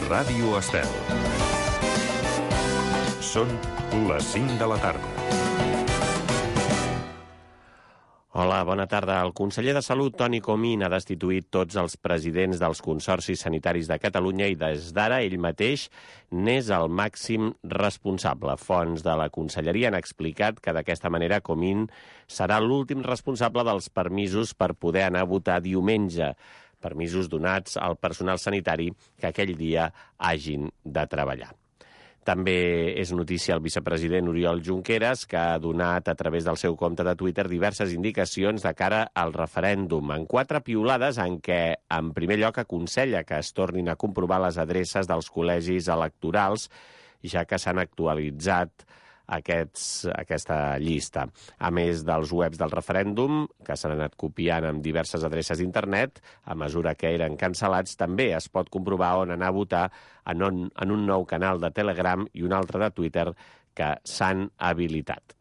Ràdio Estel. Són les 5 de la tarda. Hola, bona tarda. El conseller de Salut, Toni Comín, ha destituït tots els presidents dels consorcis sanitaris de Catalunya i des d'ara ell mateix n'és el màxim responsable. Fonts de la conselleria han explicat que d'aquesta manera Comín serà l'últim responsable dels permisos per poder anar a votar diumenge, permisos donats al personal sanitari que aquell dia hagin de treballar. També és notícia el vicepresident Oriol Junqueras, que ha donat a través del seu compte de Twitter diverses indicacions de cara al referèndum, en 4 piulades en què, en primer lloc, aconsella que es tornin a comprovar les adreces dels col·legis electorals, ja que s'han actualitzat aquesta llista. A més dels webs del referèndum, que s'han anat copiant amb diverses adreces d'internet, a mesura que eren cancel·lats, també es pot comprovar on anar a votar en un nou canal de Telegram i un altre de Twitter que s'han habilitat.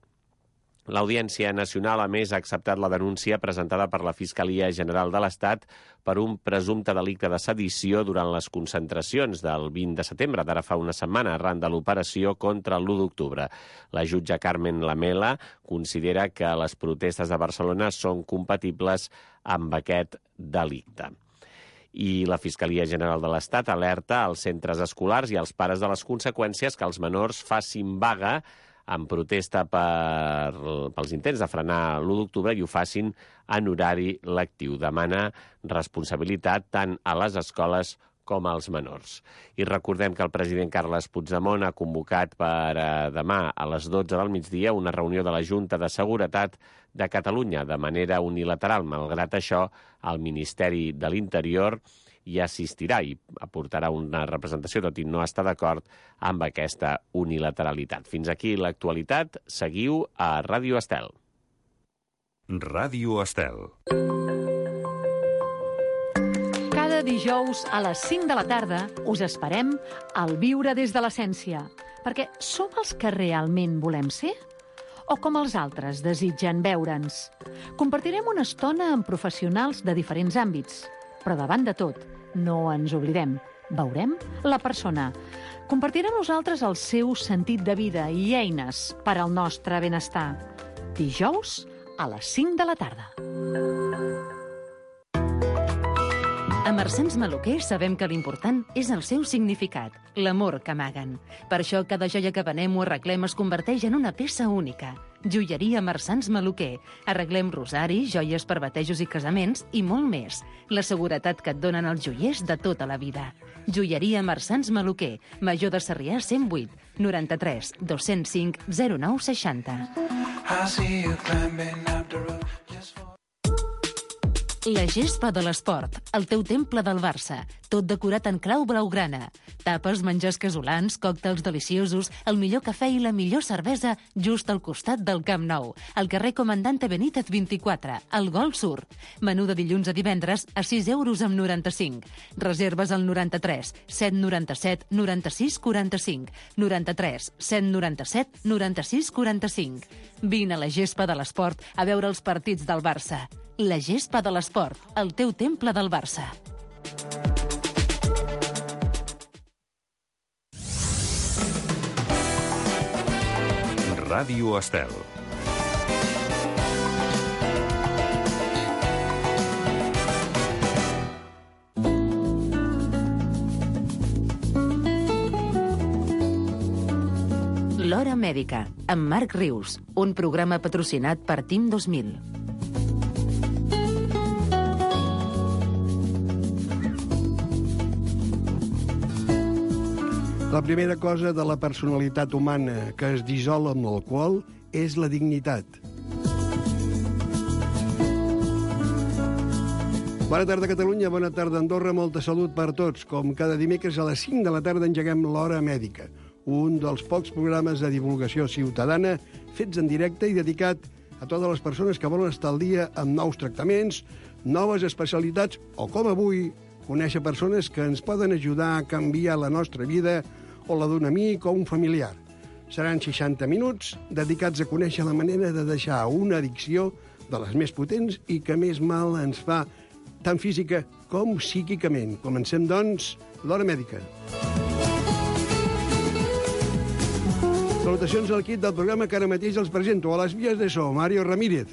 L'Audiència Nacional, a més, ha acceptat la denúncia presentada per la Fiscalia General de l'Estat per un presumpte delicte de sedició durant les concentracions del 20 de setembre, d'ara fa una setmana, arran de l'operació contra l'1 d'octubre. La jutge Carmen Lamela considera que les protestes de Barcelona són compatibles amb aquest delicte. I la Fiscalia General de l'Estat alerta als centres escolars i als pares de les conseqüències que els menors facin vaga en protesta pels intents de frenar l'1 d'octubre i ho facin en horari lectiu. Demana responsabilitat tant a les escoles com als menors. I recordem que el president Carles Puigdemont ha convocat per demà a les 12 del migdia una reunió de la Junta de Seguretat de Catalunya de manera unilateral. Malgrat això, el Ministeri de l'Interior hi assistirà i aportarà una representació, tot i no estar d'acord amb aquesta unilateralitat. Fins aquí l'actualitat. Seguiu a Ràdio Estel. Ràdio Estel. Cada dijous a les 5 de la tarda us esperem al Viure des de l'Essència, perquè som els que realment volem ser? O com els altres desitgen veure'ns? Compartirem una estona amb professionals de diferents àmbits, però davant de tot, no ens oblidem, veurem la persona. Compartirà amb nosaltres el seu sentit de vida i eines per al nostre benestar. Dijous a les 5 de la tarda. A Marsans Maluquer sabem que l'important és el seu significat, l'amor que amaguen. Per això cada joia que venem o arreglem es converteix en una peça única. Joieria Marsans Maluquer. Arreglem rosaris, joies per batejos i casaments i molt més. La seguretat que et donen els joiers de tota la vida. Joieria Marsans Maluquer. Major de Sarrià 108 93 205 09 60. La gespa de l'esport, el teu temple del Barça, tot decorat en clau blaugrana. Tapes, menjars casolans, còctels deliciosos, el millor cafè i la millor cervesa just al costat del Camp Nou, al carrer Comandante Benítez 24, al Gol Sur. Menú de dilluns a divendres a 6 euros amb 95. Reserves al 93 797 96 45, 93 797 96 45. Vine a la gespa de l'esport a veure els partits del Barça. La gespa de l'esport, el teu temple del Barça. Ràdio Estel. L'Hora Mèdica, amb Marc Rius, un programa patrocinat per Team 2000. La primera cosa de la personalitat humana que es dissol amb l'alcohol és la dignitat. Bona tarda, Catalunya, bona tarda, Andorra, molta salut per tots. Com cada dimecres a les 5 de la tarda engeguem l'Hora Mèdica, un dels pocs programes de divulgació ciutadana fets en directe i dedicat a totes les persones que volen estar al dia amb nous tractaments, noves especialitats o, com avui, conèixer persones que ens poden ajudar a canviar la nostra vida o la d'un amic o un familiar. Seran 60 minuts dedicats a conèixer la manera de deixar una addicció de les més potents i que més mal ens fa tant física com psíquicament. Comencem, doncs, l'Hora Mèdica. Salutacions al equip del programa que ara mateix els presento. A les vies de so, Mario Ramírez.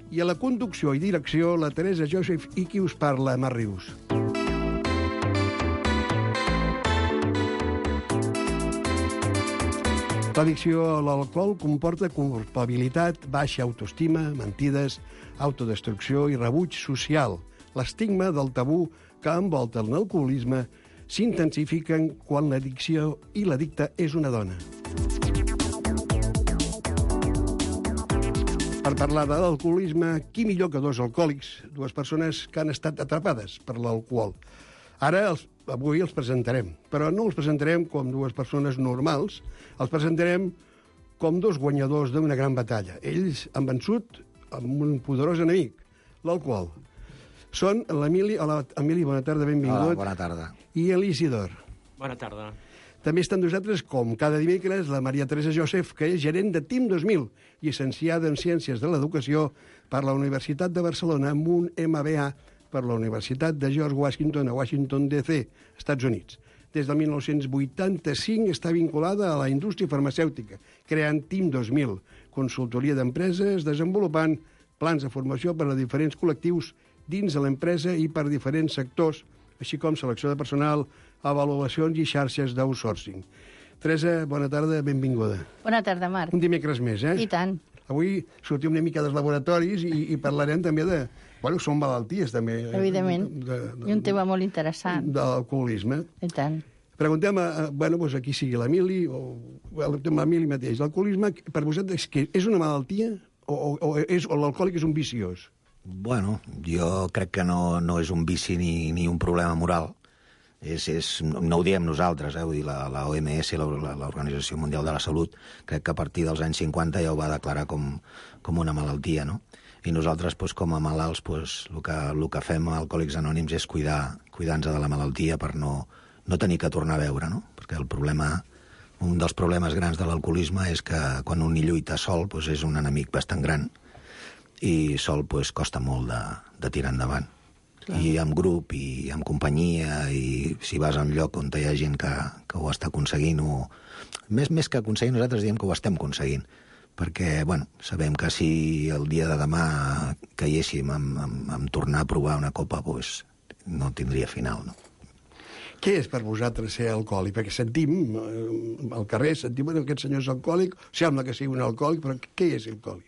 I a la conducció i direcció, la Teresa Joseph i qui us parla, Mar Rius. L'addicció a l'alcohol comporta culpabilitat, baixa autoestima, mentides, autodestrucció i rebuig social. L'estigma del tabú que envolta l'alcoholisme s'intensifiquen quan l'addicció i l'addicte és una dona. Per parlar de l'alcoholisme, qui millor que dos alcohòlics, dues persones que han estat atrapades per l'alcohol. Avui els presentarem, però no els presentarem com dues persones normals, els presentarem com dos guanyadors d'una gran batalla. Ells han vençut amb un poderós enemic, l'alcohol. Són l'Emili. Hola, Emili, bona tarda, benvingut. Hola, bona tarda. I l'Isidor. Bona tarda. També estan nosaltres, com cada dimecres, la Maria Teresa Joseph, que és gerent de TIM 2000, llicenciada en Ciències de l'Educació per la Universitat de Barcelona, amb un MBA per la Universitat de George Washington a Washington, D.C., Estats Units. Des del 1985 està vinculada a la indústria farmacèutica, creant TIM 2000, consultoria d'empreses, desenvolupant plans de formació per a diferents col·lectius dins de l'empresa i per diferents sectors, així com selecció de personal, avaluacions i xarxes d'outsourcing. Teresa, bona tarda, benvinguda. Bona tarda, Marc. Un dimecres més, eh? I tant. Avui sortim una mica dels laboratoris i parlarem també de... Bueno, són malalties, també. Evidentment. I un tema molt interessant. De l'alcoholisme. I tant. Preguntem doncs aquí sigui l'Emili, o l'Emili mateix. L'alcoholisme, per vosaltres, és una malaltia o l'alcohòlic és un viciós? Bueno, jo crec que no és un vici ni un problema moral. No ho diem nosaltres, vull dir, la OMS, l'Organització Mundial de la Salut, crec que a partir dels anys 50 ja ho va declarar com una malaltia, no? I nosaltres, com a malalts, el que fem a Alcohòlics Anònims és cuidar-nos de la malaltia per no tenir que tornar a beure, no? Perquè un dels problemes grans de l'alcoholisme és que quan un hi lluita sol és un enemic bastant gran i sol costa molt de tirar endavant. Clar. I amb grup, i amb companyia, i si vas a un lloc on hi ha gent que ho està aconseguint, més que aconseguint, nosaltres diem que ho estem aconseguint, perquè, sabem que si el dia de demà caiguéssim amb tornar a provar una copa, no tindria final, no? Què és per vosaltres ser alcohòlic? Perquè sentim, al carrer, que aquest senyor és alcohòlic, sembla que sigui un alcohòlic, però què és alcohòlic?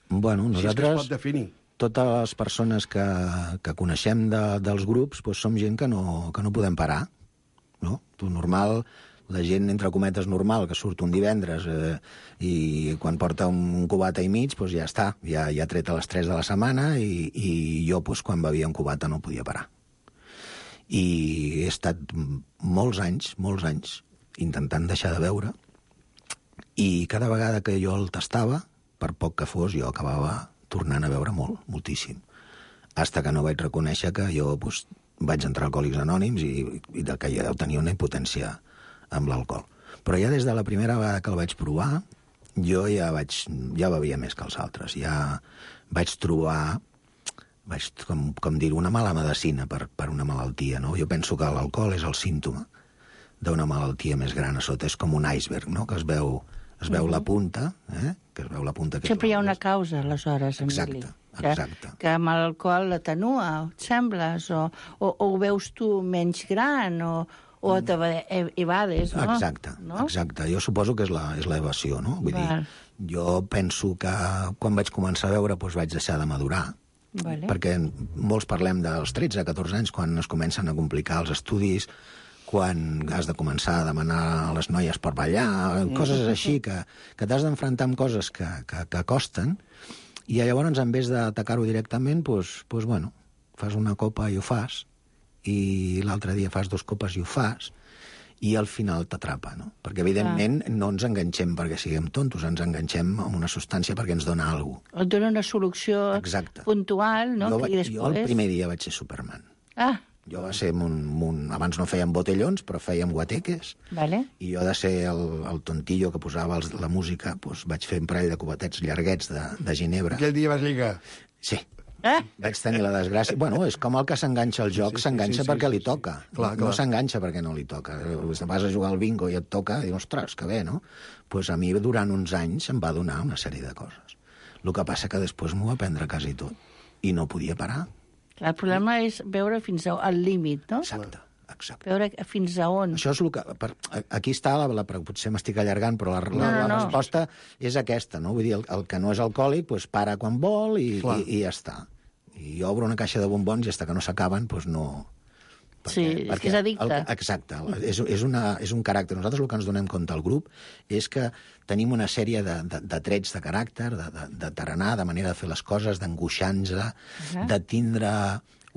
Bueno, nosaltres... Si és que es pot definir. Totes les persones que coneixem dels grups som gent que no podem parar, no? Normal, la gent, entre cometes, normal, que surt un divendres i quan porta un cubata i mig, ja està, ja ha tret a les 3 de la setmana i jo, quan bevia un cubata, no podia parar. I he estat molts anys, intentant deixar de beure i cada vegada que jo el tastava, per poc que fos, jo acabava tornant a beure moltíssim. Hasta que no vaig reconèixer que jo vaig entrar a Alcohòlics Anònims i que ja deu tenir una impotència amb l'alcohol. Però ja des de la primera vegada que el vaig provar, jo ja bevia més que els altres. Ja vaig trobar, com dir, una mala medecina per una malaltia, no? Jo penso que l'alcohol és el símptoma d'una malaltia més gran a sota. És com un iceberg, no? Que es veu la punta, que es veu la punta... Sempre hi ha una causa, aleshores, Emili. Exacte. Que amb l'alcohol l'atenua, et sembles, o ho veus tu menys gran, o t'evades, no? Exacte. Jo suposo que és l'evasió, no? Vull dir, jo penso que quan vaig començar a beure vaig deixar de madurar, perquè molts parlem dels 13-14 anys, quan es comencen a complicar els estudis, quan has de començar a demanar a les noies per ballar, coses així, que t'has d'enfrontar amb coses que costen, i llavors, en vez d'atacar-ho directament, fas una copa i ho fas, i l'altre dia fas 2 copes i ho fas, i al final t'atrapa, no? Perquè, evidentment, no ens enganxem perquè siguem tontos, ens enganxem amb una substància perquè ens dona alguna cosa. Et dona una solució puntual, no? Jo el primer dia vaig ser Superman. Jo va ser abans no fèiem botellons, però fèiem guateques. I jo de ser el tontillo que posava la música, vaig fer un parell de cubatets llarguets de ginebra. Aquell dia vas lligar? Sí. Vaig tenir la desgràcia... Bueno, és com el que s'enganxa al joc, s'enganxa perquè li toca. No s'enganxa perquè no li toca. Vas a jugar al bingo i et toca, i dius, ostres, que bé, no? Doncs a mi durant uns anys em va donar una sèrie de coses. El que passa que després m'ho va prendre quasi tot. I no podia parar. El problema és veure fins al límit, no? Exacte. Veure fins a on. Això és el que... Aquí està, potser m'estic allargant, però la resposta és aquesta, no? Vull dir, el que no és alcohòlic, doncs para quan vol i ja està. I obre una caixa de bombons i fins que no s'acaben, doncs no... Perquè és addicte. Exacte. És un caràcter. Nosaltres el que ens donem compte al grup és que tenim una sèrie de trets de caràcter, de tarenar, de manera de fer les coses, d'angoixar-nos, de tindre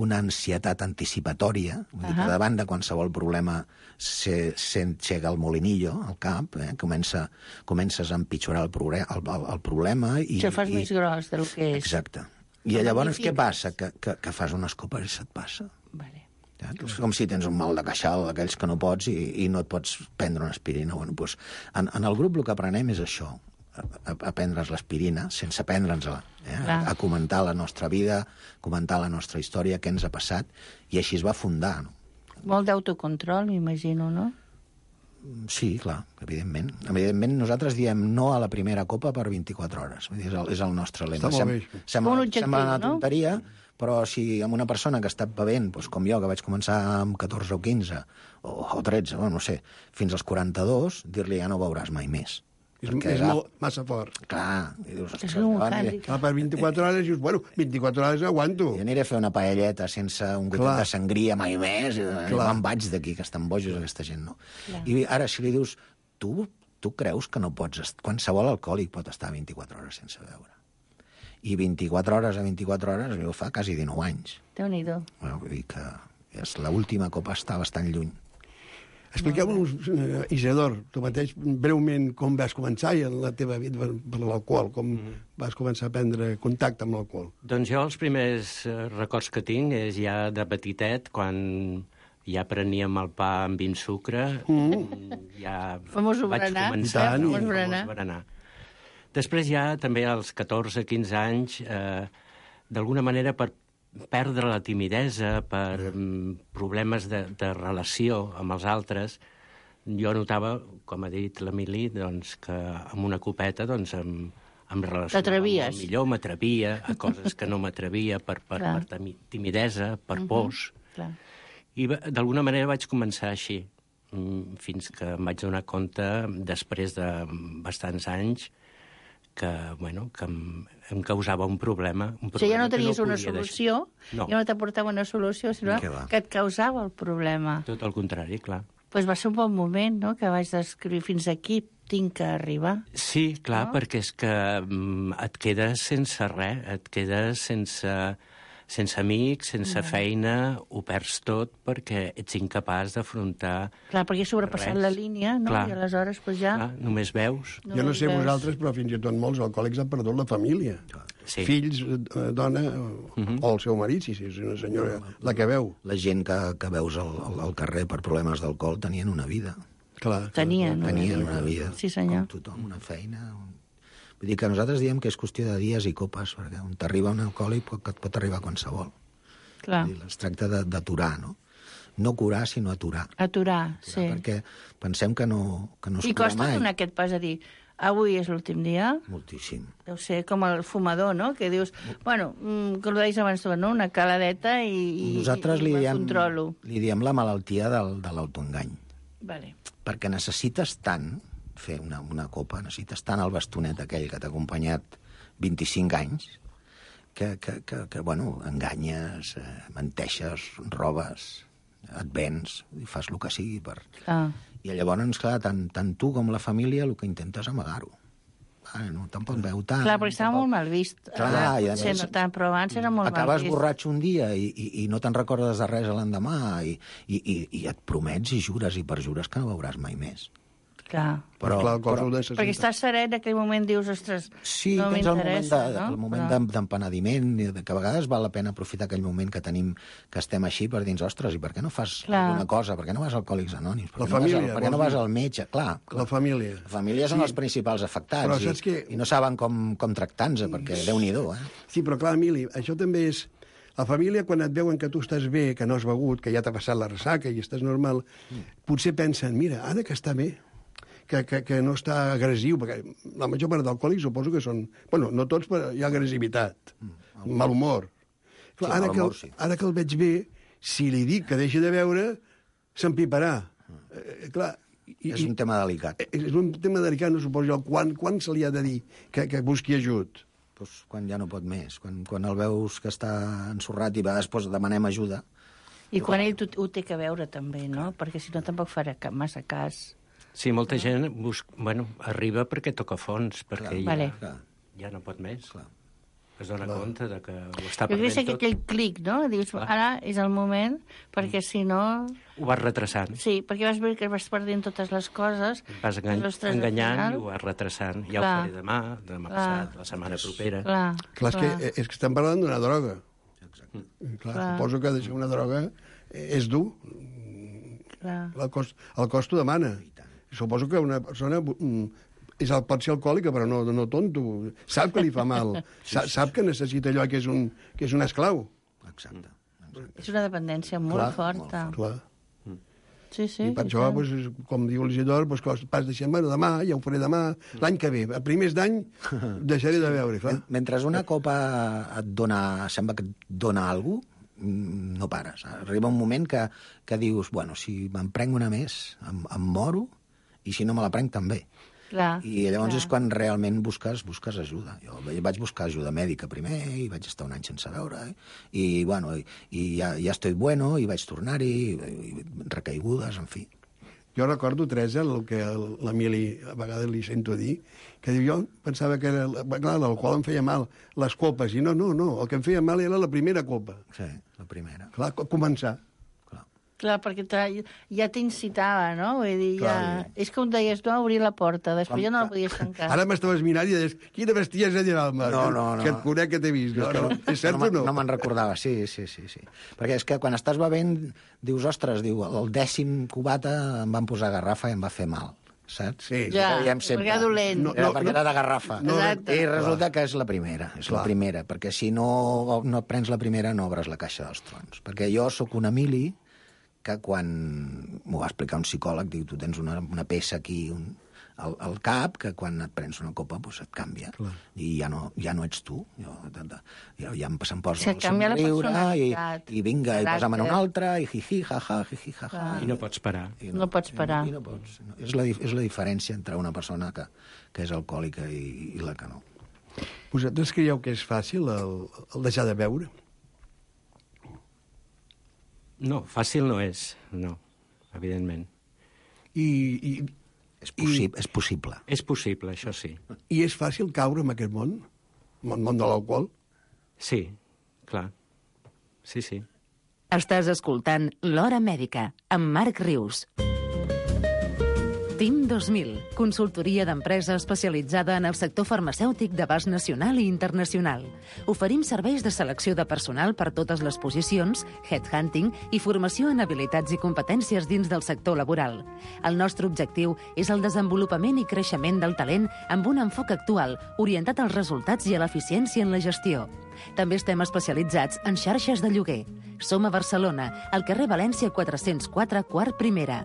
una ansietat anticipatòria, vull dir que davant de qualsevol problema s'engega el molinillo al cap, comences a empitjorar el problema i... Això fas més gros del que és. Exacte. I llavors què passa? Que fas unes copes i se't passa. Vale. És com si tens un mal de queixal, d'aquells que no pots i no et pots prendre una aspirina. Bueno, doncs, en el grup el que aprenem és això, a prendre's l'aspirina, sense prendre'ns-la, a comentar la nostra vida, comentar la nostra història, què ens ha passat, i així es va fundar. No? Molt d'autocontrol, m'imagino, no? Sí, clar, evidentment. Evidentment, nosaltres diem no a la primera copa per 24 hores. Vull dir, és el nostre lema. Està molt bé. Sembla una tonteria, però si amb una persona que està bevent, doncs com jo, que vaig començar amb 14 o 15, o 13, no sé, fins als 42, dir-li ja no beuràs mai més. És massa fort. Clar. I dius, és un hàndicap. Per 24 hores dius, bueno, 24 hores aguanto. Jo aniré a fer una paelleta sense un gotet de sangria mai més, i me'n vaig d'aquí, que estan bojos aquesta gent, no? I ara, si li dius, tu creus que no pots... Qualsevol alcohòlic pot estar 24 hores sense beure. I 24 hores a 24 hores, ho fa quasi 19 anys. Déu-n'hi-do. Bueno, vull dir que l'última copa està bastant lluny. Expliqueu-nos, Isidor, tu mateix, breument, com vas començar en la teva vida per l'alcohol, com vas començar a prendre contacte amb l'alcohol. Doncs jo els primers records que tinc és ja de petitet, quan ja preníem el pa amb vi amb sucre, ja famós vaig berenar. començar. Famós berenar. Després ja, també als 14-15 anys, d'alguna manera per perdre la timidesa, per problemes de relació amb els altres, jo notava, com ha dit l'Emili, doncs, que amb una copeta doncs, em relacionava molt millor, m'atrevia a coses que no m'atrevia per timidesa, per pors. I d'alguna manera vaig començar així, fins que em vaig donar compte, després de bastants anys, que em causava un problema. O sigui, ja no tenies una solució, ja no t'aportava una solució, sinó que et causava el problema. Tot el contrari, clar. Doncs va ser un bon moment, no?, que vaig descriure fins aquí tinc que arribar. Sí, clar, perquè és que et quedes sense res, et quedes sense amics, sense feina, ho perds tot perquè ets incapaç d'afrontar... Clar, perquè he sobrepassat la línia, no? I aleshores, doncs ja... Clar, només veus. Jo no sé vosaltres, però fins i tot molts alcohòlics han perdut la família. Sí. Fills, dona, o el seu marit, si és una senyora la que veu. La gent que veus al carrer per problemes d'alcohol tenien una vida. Clar. Tenien una vida. Sí, senyor. Com tothom, una feina... Vull dir que nosaltres diem que és qüestió de dies i copes, perquè on t'arriba un alcohòlic et pot arribar qualsevol. Clar. Es tracta d'aturar, no? No curar, sinó aturar. Aturar, sí. Perquè pensem que no es cura mai. I costa donar aquest pas a dir, avui és l'últim dia? Moltíssim. Deu ser com el fumador, no?, que dius, bueno, que ho deies abans, no?, una caladeta i nosaltres me controlo. Li diem la malaltia de l'autoengany. Vale. Perquè necessites tant fer una copa, necessites tant el bastonet aquell que t'ha acompanyat 25 anys que bueno, enganyes, menteixes, robes, et vens, i fas el que sigui per... I llavors, clar, tant tu com la família el que intentes és amagar-ho. No, tampoc veu tant. Clar, perquè estava molt mal vist. Clar, i a més... Però abans era molt mal vist. Acabes borratxo un dia i no te'n recordes de res l'endemà i et promets i jures i perjures que no beuràs mai més. Clar. Però el cos ho necessita. Perquè estàs serè, en aquell moment dius, ostres, Sí, no tens el m'interessa, moment d'empenediment, que a vegades val la pena aprofitar aquell moment que tenim, que estem així, per dir, ostres, i per què no fas alguna cosa? Per què no vas a Alcohòlics Anònims? Per què no vas al metge? Clar. La família. La família són els principals afectats, però saps i no saben com tractar-nos, perquè Déu-n'hi-do, Sí, però clar, Emili, això també és... La família, quan et veuen que tu estàs bé, que no has begut, que ja t'ha passat la ressaca i estàs normal, potser pensen, mira, ara que està bé, que no està agressiu, perquè la major part d'alcohòlics suposo que són... Bueno, no tots, però hi ha agressivitat, mal humor. Clar, ara que el veig bé, si li dic que deixi de beure, s'empiparà. Clar, És un tema delicat. És un tema delicat, no suposo jo. Quan se li ha de dir que busqui ajut? Pues quan ja no pot més, quan el veus que està ensorrat i després demanem ajuda. I quan ell ho té que veure també, no? Perquè si no tampoc farà massa cas. Sí, molta gent arriba perquè toca fons, perquè ja no pot més. Clar. Es dona compte de que ho està Jo crec que aquell clic, no? Dius, ara és el moment, perquè si no... Ho vas retrasant. Sí, perquè vas veure que vas perdent totes les coses. Vas enganyant i ho vas retrasant. Ja ho faré demà passat, la setmana propera. Clar, és que estem parlant d'una droga. Exacte. Clar, suposo que deixar una droga és dur. El cost t'ho demana. Suposo que una persona pot ser alcohòlica, però no tonto. Sap que li fa mal. Sap que necessita allò que és un esclau. Exacte. És una dependència molt forta. Clar. Sí, I per això, com diu l'Isidor, pas deixem, demà, ja ho faré demà, l'any que ve, a primers d'any, deixaré de beure, clar. Mentre una copa sembla que et dona alguna cosa, no pares. Arriba un moment que dius, bueno, si me'n prenc una més, em moro, i si no me la prenc també. I llavors és quan realment busques ajuda. Jo vaig buscar ajuda mèdica primer i vaig estar un any sense beure i ja estic bueno i vaig tornar-hi, recaigudes, en fi. Jo recordo, Teresa, el que l'Emili a vegades li sento dir, que diu, jo pensava que l'alcohol em feia mal, les copes, i no, el que em feia mal era la primera copa. Sí, la primera. Clar, començar. Clar, perquè ja t'incitava, no? Vull dir, és que on deies, no, obrir la porta, després ja no la podies tancar. Ara m'estaves mirant i deies, quina bestiesa dirà el Marc, que et conec que t'he vist. És cert o no? No me'n recordava, sí. Perquè és que quan estàs bevent, dius, ostres, el 10è cubata em van posar garrafa i em va fer mal, saps? Sí. Ja, perquè era dolent. Perquè era de garrafa. Exacte. I resulta que és la primera, perquè si no prens la primera no obres la caixa dels trons. Perquè jo sóc un Emili que quan m'ho va explicar un psicòleg, diu, tu tens una peça aquí al cap, que quan et prens una copa et canvia. Clar. I ja no ets tu. Ja em posa el somriure i vinga, i posa'm en una altra, i jiji, jaja, jiji, jaja. I no pots parar. No pots parar. És la diferència entre una persona que és alcohòlica i la que no. Vosaltres creieu que és fàcil el deixar de beure? No, fàcil no és, no, evidentment. És possible. És possible, això sí. I és fàcil caure en aquest món? En el món de l'alcohol? Sí, clar. Sí. Estàs escoltant L'Hora Mèdica, amb Marc Rius. TIM 2000, consultoria d'empresa especialitzada en el sector farmacèutic d'abast nacional i internacional. Oferim serveis de selecció de personal per totes les posicions, headhunting i formació en habilitats i competències dins del sector laboral. El nostre objectiu és el desenvolupament i creixement del talent amb un enfoc actual, orientat als resultats i a l'eficiència en la gestió. També estem especialitzats en xarxes de lloguer. Som a Barcelona, al carrer València 404, quart primera.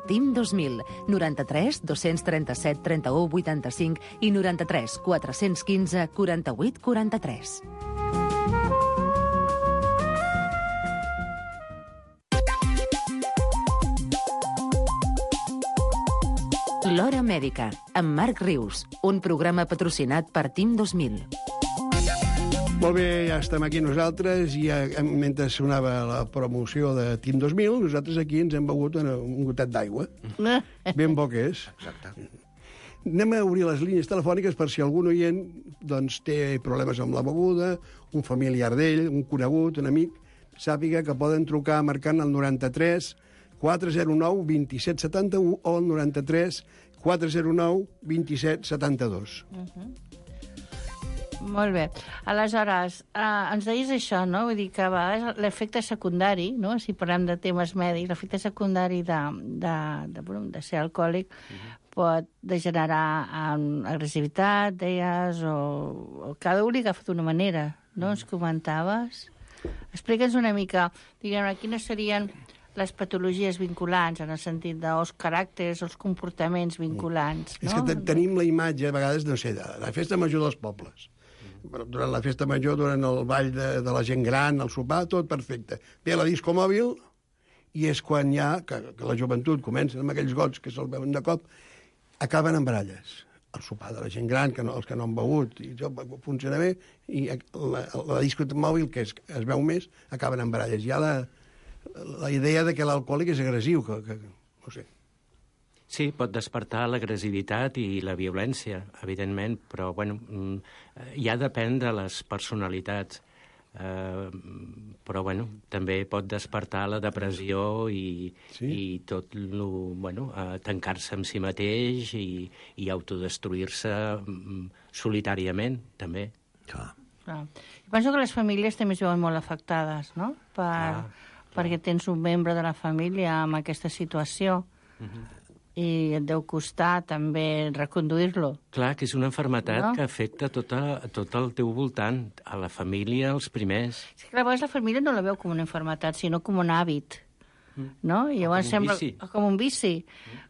TIM 2000, 93 237 31 85 i 93 415 48 43. L'Hora Mèdica, amb Marc Rius, un programa patrocinat per TIM 2000. Molt bé, ja estem aquí nosaltres i mentre sonava la promoció de TIM 2000, nosaltres aquí ens hem begut un gotet d'aigua. Ben bo que és. Exacte. Anem a obrir les línies telefòniques per si algun oient té problemes amb la beguda, un familiar d'ell, un conegut, un amic, sàpiga que poden trucar marcant el 93 409 2771 o el 93 409 27 72. Molt bé. Aleshores, ens deies això, no? Vull dir que a vegades l'efecte secundari, no? Si parlem de temes mèdics, l'efecte secundari de ser alcohòlic pot degenerar en agressivitat, deies, o cada un li agafa d'una manera, no? Ens comentaves. Explica'ns una mica, diguem-ne, quines serien les patologies vinculants, en el sentit dels caràcters, els comportaments vinculants, no? És que tenim la imatge, a vegades, no sé, de la festa major dels pobles. Durant la festa major, durant el ball de la gent gran, el sopar, tot perfecte. Ve la disco mòbil i és quan ja, que la joventut comença amb aquells gots que se'l veuen de cop, acaben en baralles. El sopar de la gent gran, els que no han begut, i això funciona bé, i la disco mòbil, que es veu més, acaben en baralles. Hi ha la idea de que l'alcohòlic és agressiu, que no sé. Sí, pot despertar l'agressivitat i la violència, evidentment, però bueno, ja depèn de les personalitats. Però bueno, també pot despertar la depressió i tot tancar-se en si mateix i autodestruir-se solitàriament, també. Clar. Penso que les famílies també es veuen molt afectades, no? Perquè tens un membre de la família amb aquesta situació. I et deu costar també reconduir-lo. Clar, que és una malaltia que afecta tot el teu voltant, a la família, els primers. Sí, que a vegades la família no la veu com una malaltia, sinó com un hàbit, no? I llavors sembla com un vici,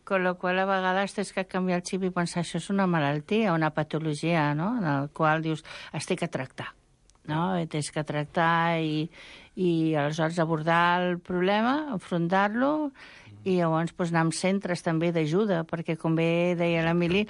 con lo qual a vegades tens que canviar el xip i pensar això és una malaltia, una patologia, no? En el qual dius, es té que tractar, no? Tens que tractar i aleshores abordar el problema, enfrontar-lo, i llavors anar amb centres també d'ajuda, perquè, com bé deia l'Emili,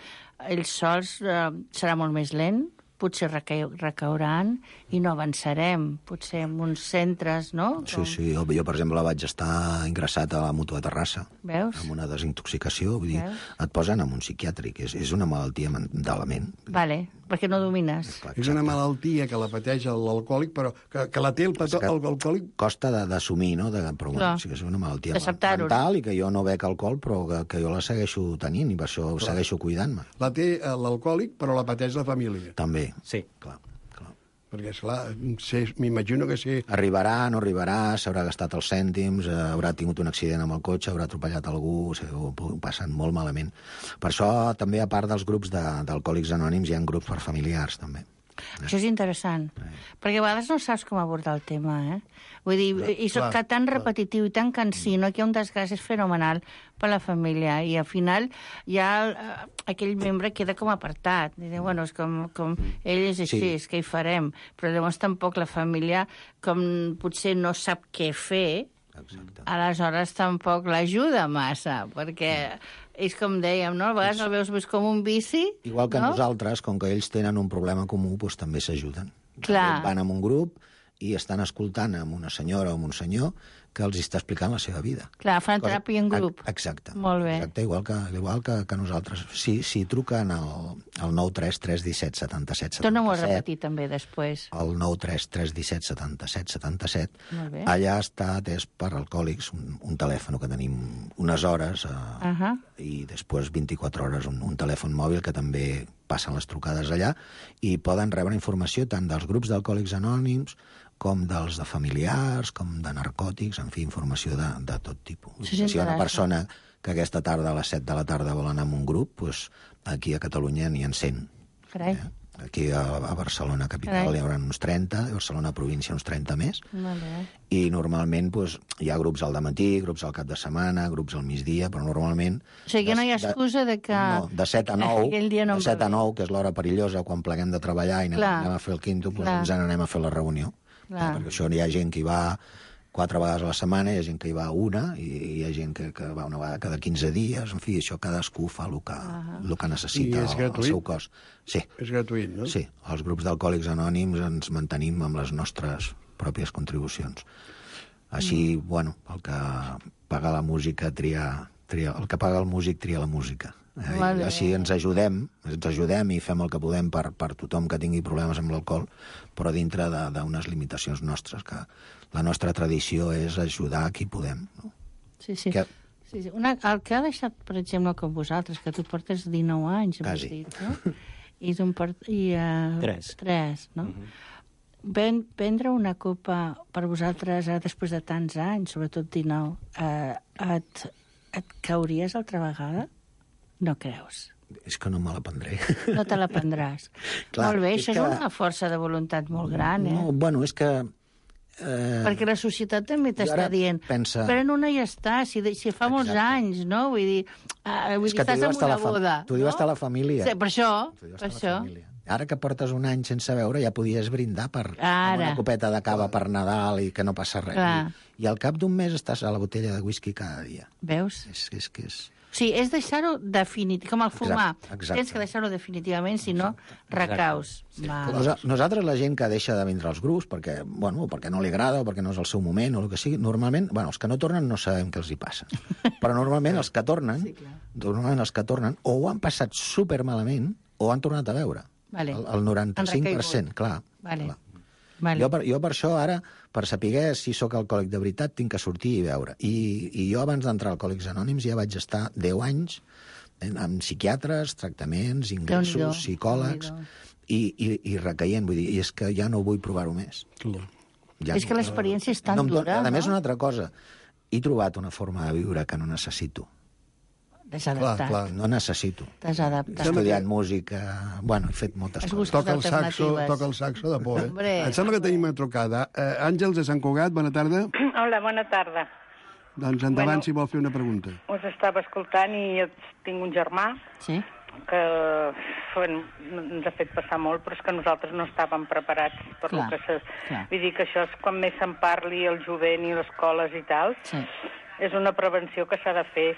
ells sols serà molt més lent, potser recauran i no avançarem, potser en uns centres, no? Sí, jo, per exemple, vaig estar ingressat a la Mútua de Terrassa. Veus? Amb una desintoxicació, vull dir, et posen en un psiquiàtric, és una malaltia de la ment. Vale, perquè no domines. És una malaltia que la pateix l'alcohòlic, però que la té l'alcohòlic... Costa d'assumir, no? Però bueno, sí que és una malaltia mental i que jo no bec alcohol, però que jo la segueixo tenint i per això segueixo cuidant-me. La té l'alcohòlic, però la pateix la família. També. Sí. Clar. Perquè, esclar, m'imagino que sí... Arribarà, no arribarà, s'haurà gastat els cèntims, haurà tingut un accident amb el cotxe, haurà atropellat algú, ho passen molt malament. Per això, també, a part dels grups d'alcohòlics anònims, hi ha grups per familiars, també. Això és interessant, perquè a vegades no saps com abordar el tema, Vull dir, és tan repetitiu i tan cansí, no? Que hi ha un desgast fenomenal per la família, i al final ja aquell membre queda com apartat. I diu, bueno, és com ell és així, és que hi farem. Però llavors tampoc la família, com potser no sap què fer, aleshores tampoc l'ajuda massa, perquè... És com dèiem, no? A vegades el veus més com un vici. Igual que nosaltres, com que ells tenen un problema comú, doncs també s'ajuden. Clar. Van en un grup i estan escoltant amb una senyora o amb un senyor que els està explicant la seva vida. Clar, fan teràpia en grup. Exacte. Molt bé. Exacte, igual que nosaltres. Sí, truquen al 933 317 77 77. Torna-m'ho a repetir també després. El 933 17 77 77. Molt bé. Allà està atès per alcohòlics, un telèfon que tenim unes hores i després 24 hores un telèfon mòbil que també passen les trucades allà i poden rebre informació tant dels grups d'alcohòlics anònims com dels de familiars, com de narcòtics, en fi, informació de tot tipus. Si hi ha una persona que aquesta tarda a les 7 de la tarda vol anar a un grup, doncs aquí a Catalunya n'hi ha 100. Carai. Aquí a Barcelona capital hi haurà uns 30, a Barcelona província uns 30 més. I normalment hi ha grups al dematí, grups al cap de setmana, grups al migdia, però normalment... O sigui que no hi ha excusa de que... No, de 7 a 9, que és l'hora perillosa, quan pleguem de treballar i anem a fer el quinto, doncs ens n'anem a fer la reunió. Perquè això hi ha gent que hi va 4 vegades a la setmana, hi ha gent que hi va una, i hi ha gent que va una vegada cada 15 dies, en fi, això cadascú fa el que necessita el seu cos. Sí. És gratuït, no? Sí, els grups d'alcohòlics anònims ens mantenim amb les nostres pròpies contribucions. Així, bueno, el que paga la música el que paga el músic tria la música. I així ens ajudem i fem el que podem per tothom que tingui problemes amb l'alcohol, però dintre d'unes limitacions nostres, que la nostra tradició és ajudar a qui podem. No? Sí. Sí, sí. El que ha deixat, per exemple, com vosaltres, que tu portes 19 anys, quasi. Dit, no? I tu en portes... 3, no? Prendre una copa per vosaltres, després de tants anys, sobretot 19, et cauries altra vegada? No creus? És que no me la prendré. No te la prendràs. Clar, molt bé, això és una força de voluntat molt gran, eh? No, bueno, és que... Perquè la societat també t'està dient, pren una i ja està, si fa molts anys, no? Vull dir, estàs en una boda. T'ho diu estar la família. Sí, per això. Ara que portes un any sense veure, ja podies brindar per una copeta de cava per Nadal i que no passa res. I al cap d'un mes estàs a la botella de whisky cada dia. Veus? És que és... Sí, és deixar-ho definitivament, com el fumar. Exacte. Tens que deixar-ho definitivament, si no, recaus. Nosaltres, la gent que deixa de vindre als grups, perquè no li agrada o perquè no és el seu moment o el que sigui, normalment, els que no tornen no sabem què els hi passa. Però normalment els que tornen, o ho han passat supermalament o han tornat a veure. El 95%, clar. Jo per això ara, per saber si sóc alcohòlic de veritat, tinc que sortir i veure. I jo abans d'entrar a Alcohòlics Anònims ja vaig estar 10 anys amb psiquiatres, tractaments, ingressos, psicòlegs, i recaient, vull dir, i és que ja no vull provar-ho més. És que l'experiència és tan dura, no? A més, una altra cosa, he trobat una forma de viure que no necessito. Desadaptat. Clar, no necessito. Desadaptat. He estudiat música, he fet moltes coses. Toca el saxo de por, eh? Em sembla que tenim una trucada. Àngels de Sant Cugat, bona tarda. Hola, bona tarda. Doncs endavant, si vol fer una pregunta. Us estava escoltant i jo tinc un germà que ens ha fet passar molt, però és que nosaltres no estàvem preparats per lo que vull dir que això és quan més se'n parli el jovent i les escoles i tal. És una prevenció que s'ha de fer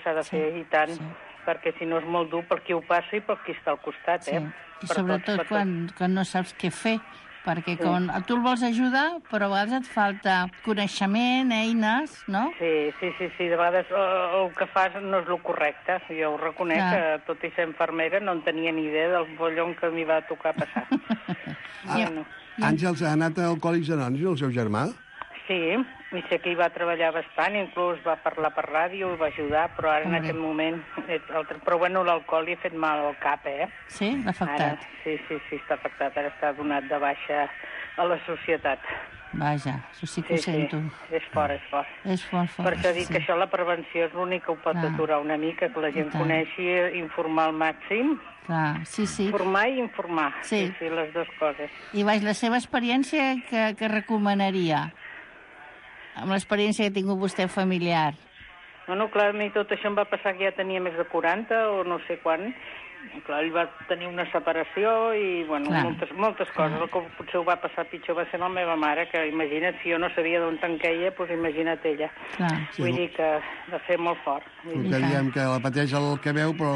i tant, perquè si no és molt dur per qui ho passa i per qui està al costat, eh? I sobretot quan no saps què fer, perquè quan tu el vols ajudar, però a vegades et falta coneixement, eines, no? Sí, de vegades el que fas no és el correcte. Jo ho reconec, que tot i ser infermera no en tenia ni idea del bollon que m'hi va tocar passar. Àngels ha anat a Alcohòlics Anònims, el seu germà? Sí, i sé que hi va treballar bastant, inclús va parlar per ràdio, va ajudar, però ara en aquest moment... Però bueno, l'alcohol li ha fet mal al cap, eh? Sí? L'ha afectat? Sí, està afectat. Ara està donat de baixa a la societat. Vaja, això sí que ho sento. Sí, és fort. És fort. Per això dic que això, la prevenció, és l'únic que ho pot aturar una mica, que la gent coneixi, informar al màxim. Clar, sí. Formar i informar, sí, les dues coses. I la seva experiència que recomanaria? Amb l'experiència que ha tingut vostè familiar. Bueno, clar, a mi tot això em va passar que ja tenia més de 40 o no sé quan. Clar, ell va tenir una separació i, bueno, moltes coses. El que potser ho va passar pitjor va ser la meva mare, que imagina't, si jo no sabia d'on tan queia, doncs imagina't ella. Vull dir que va ser molt fort. Que diem que la pateix el que veu, però...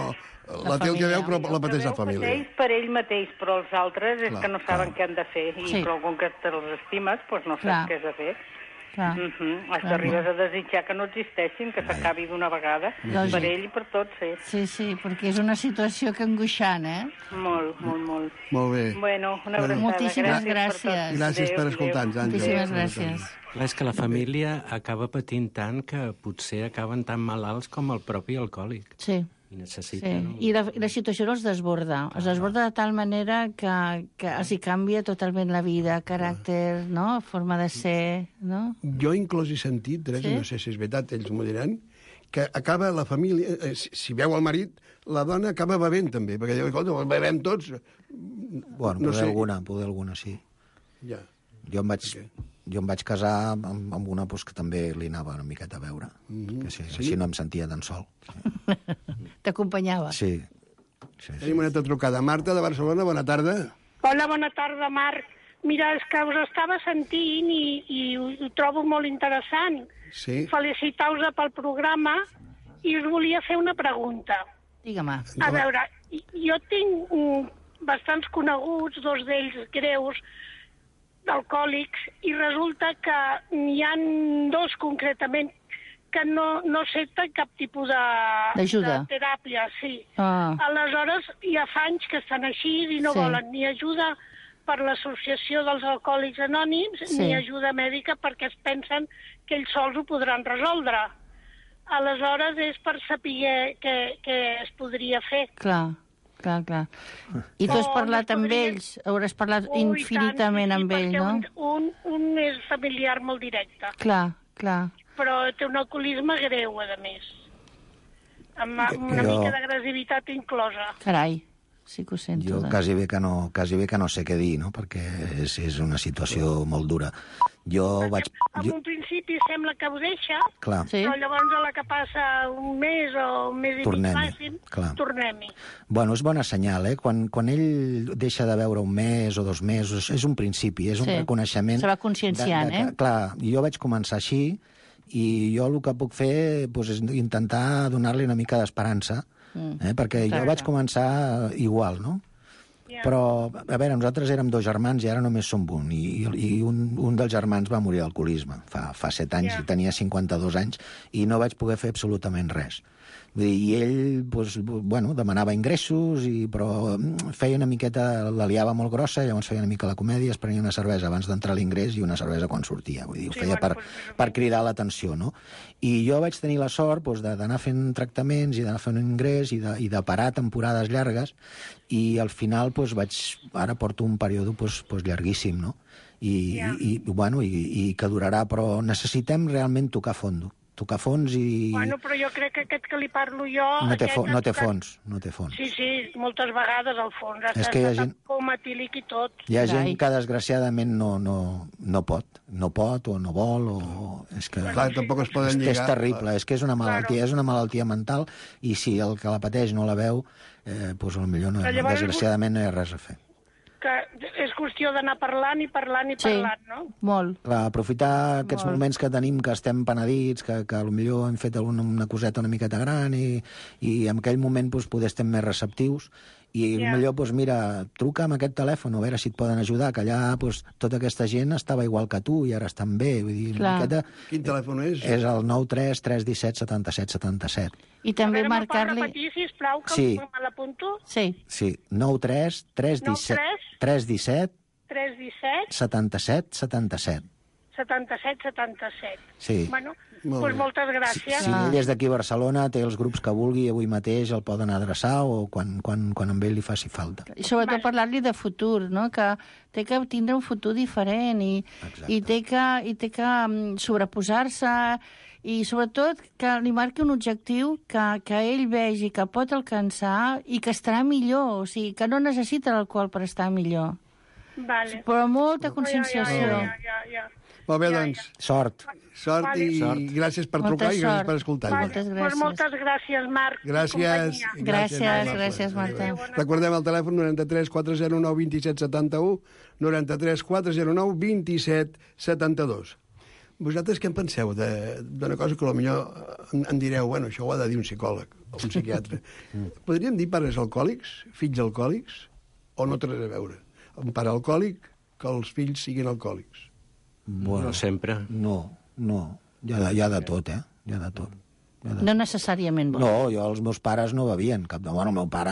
La té el que veu, però la pateix la família. Pateix per ell mateix, però els altres és que no saben què han de fer. I com que te'ls estimes, doncs no saps què has de fer. Hasta arribes a desitjar que no existeixin, que s'acabi d'una vegada, per ell i per tots, Sí, perquè és una situació que angoixant, eh? Molt. Molt bé. Bueno, una abraçada. Moltíssimes gràcies. Gràcies per escoltar-nos, Àngels. Moltíssimes gràcies. Clar, és que la família acaba patint tant que potser acaben tan malalts com el propi alcohòlic. Sí. I necessiten... I la situació els desborda. Els desborda de tal manera que els hi canvia totalment la vida, caràcter, no? Forma de ser, no? Jo inclús he sentit, Teresa, no sé si és veritat, ells m'ho diran, que acaba la família... Si veu el marit, la dona acaba bevent també, perquè diu, escolta, bevem tots. Bueno, poder alguna, sí. Ja. Jo em vaig casar amb una que també li anava una miqueta a veure. Que així no em sentia tan sol. T'acompanyava? Sí. Tenim una altra trucada. Marta, de Barcelona, bona tarda. Hola, bona tarda, Marc. Mira, és que us estava sentint i ho trobo molt interessant. Sí. Felicitar-vos pel programa i us volia fer una pregunta. Digue-me. A veure, jo tinc bastants coneguts, dos d'ells greus, d'alcohòlics, i resulta que n'hi ha dos concretament que no accepten cap tipus de teràpia, sí. Aleshores, ja fa anys que estan així i no volen ni ajuda per l'associació dels alcohòlics anònims ni ajuda mèdica perquè es pensen que ells sols ho podran resoldre. aleshores és per saber què es podria fer. Clar. I tu has parlat amb ells? Hauràs parlat infinitament amb ells, no? Perquè un és familiar molt directe. Clar. Però té un alcoholisme greu, a més. Amb una mica d'agressivitat inclosa. Carai, sí que ho sento. Jo quasi bé que no sé què dir, no? Perquè és una situació molt dura. En un principi sembla que ho deixa, però llavors a la que passa un mes o un mes i mig màxim, tornem-hi. Bueno, és bona senyal, Quan ell deixa de veure un mes o 2 mesos, és un principi, és un reconeixement... Se va conscienciant, Clar, jo vaig començar així i jo el que puc fer és intentar donar-li una mica d'esperança, perquè jo vaig començar igual, no? Però, a veure, nosaltres érem 2 germans i ara només som un. I un dels germans va morir d'alcoholisme fa 7 anys i tenia 52 anys i no vaig poder fer absolutament res. I ell, demanava ingressos, però feia una miqueta, la liava molt grossa, llavors feia una mica la comèdia, es prenia una cervesa abans d'entrar a l'ingrés i una cervesa quan sortia. Vull dir, ho feia per cridar l'atenció, no? I jo vaig tenir la sort d'anar fent tractaments i d'anar fent un ingrés i de parar temporades llargues i al final ara porto un període llarguíssim, no? I que durarà, però necessitem realment tocar fons i... Però jo crec que aquest que li parlo jo... No té fons. Sí, moltes vegades al fons. És que hi ha gent... Com etílic i tot. Hi ha gent que desgraciadament no pot o no vol o... És que... Clar, tampoc es poden lligar. És terrible, és que és una malaltia mental i si el que la pateix no la veu, potser desgraciadament no hi ha res a fer. Que és qüestió d'anar parlant, no? Molt. Clar, aprofitar aquests moments que tenim, que estem penedits, que potser hem fet una coseta una miqueta gran i en aquell moment poder estem més receptius i millor, mira, truca amb aquest telèfon a veure si et poden ajudar, que allà tota aquesta gent estava igual que tu i ara estan bé. Vull dir, Quin telèfon és? És el 93 317 77 77. I també marcar-li... A veure, m'ho pot repetir, sisplau, que me l'apunto? Sí, 93 317 77 77. 77. Sí. Doncs moltes gràcies. Si ell és d'aquí a Barcelona, té els grups que vulgui, avui mateix el poden adreçar o quan amb ell li faci falta. I sobretot parlar-li de futur, no? Que té que tindre un futur diferent i té que sobreposar-se i sobretot que li marqui un objectiu que ell vegi que pot alcançar i que estarà millor, o sigui, que no necessita l'alcohol per estar millor. Vale. Però molta conscienciació. Molt bé, doncs. Sort i gràcies per trucar i gràcies per escoltar. Moltes gràcies, Marc. Gràcies, Marta. Recordem el telèfon 93 409 27 71, 93 409 27 72. Vosaltres què en penseu d'una cosa que potser em direu, això ho ha de dir un psicòleg o un psiquiatre. Podríem dir pares alcohòlics, fills alcohòlics, o no té res a veure? Un pare alcohòlic, que els fills siguin alcohòlics. No sempre. No. Hi ha de tot, Hi ha de tot. No necessàriament. No, els meus pares no bevien. El meu pare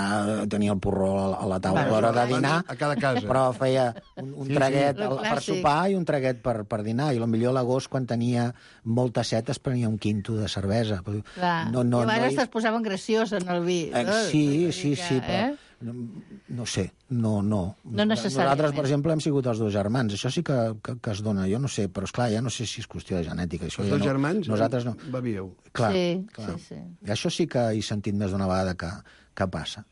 tenia el porró a la taula a l'hora de dinar, a cada casa. Però feia un traguet per sopar i un traguet per dinar. I potser a l'agost, quan tenia molta set, es prenia un quinto de cervesa. Clar. I a vegades es posaven graciós en el vi. Sí, però... No sé, no. necessàriament. Nosaltres, per exemple, hem sigut els 2 germans. Això sí que es dona, jo no sé, però esclar, ja no sé si és qüestió de genètica. Els 2 germans nosaltres no bevíeu. Clar. Sí. Això sí que he sentit més d'una vegada que passa.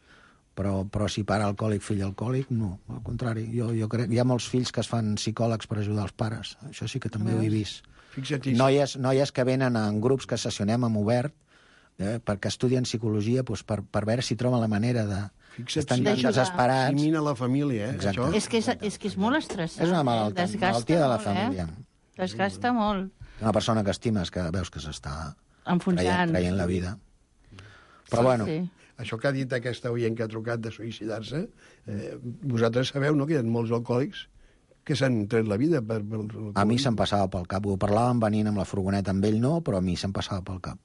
Però si pare alcohòlic, fill alcohòlic, no. Al contrari, jo crec que hi ha molts fills que es fan psicòlegs per ajudar els pares. Això sí que també ho he vist. Noies que venen en grups que sessionem amb Obert, perquè estudien psicologia per veure si troben la manera de... Estan desesperats. Simina la família, Exacte. Això? És que és molt estressant. És una malaltia de la família. Desgasta molt. Una persona que estimes, que veus que s'està traient la vida. Però Sí. Això que ha dit aquesta oient que ha trucat de suïcidar-se, vosaltres sabeu, no?, que hi ha molts alcohòlics que s'han tret la vida A mi se'm passava pel cap. Ho parlàvem venint amb la furgoneta amb ell, no, però a mi se'm passava pel cap.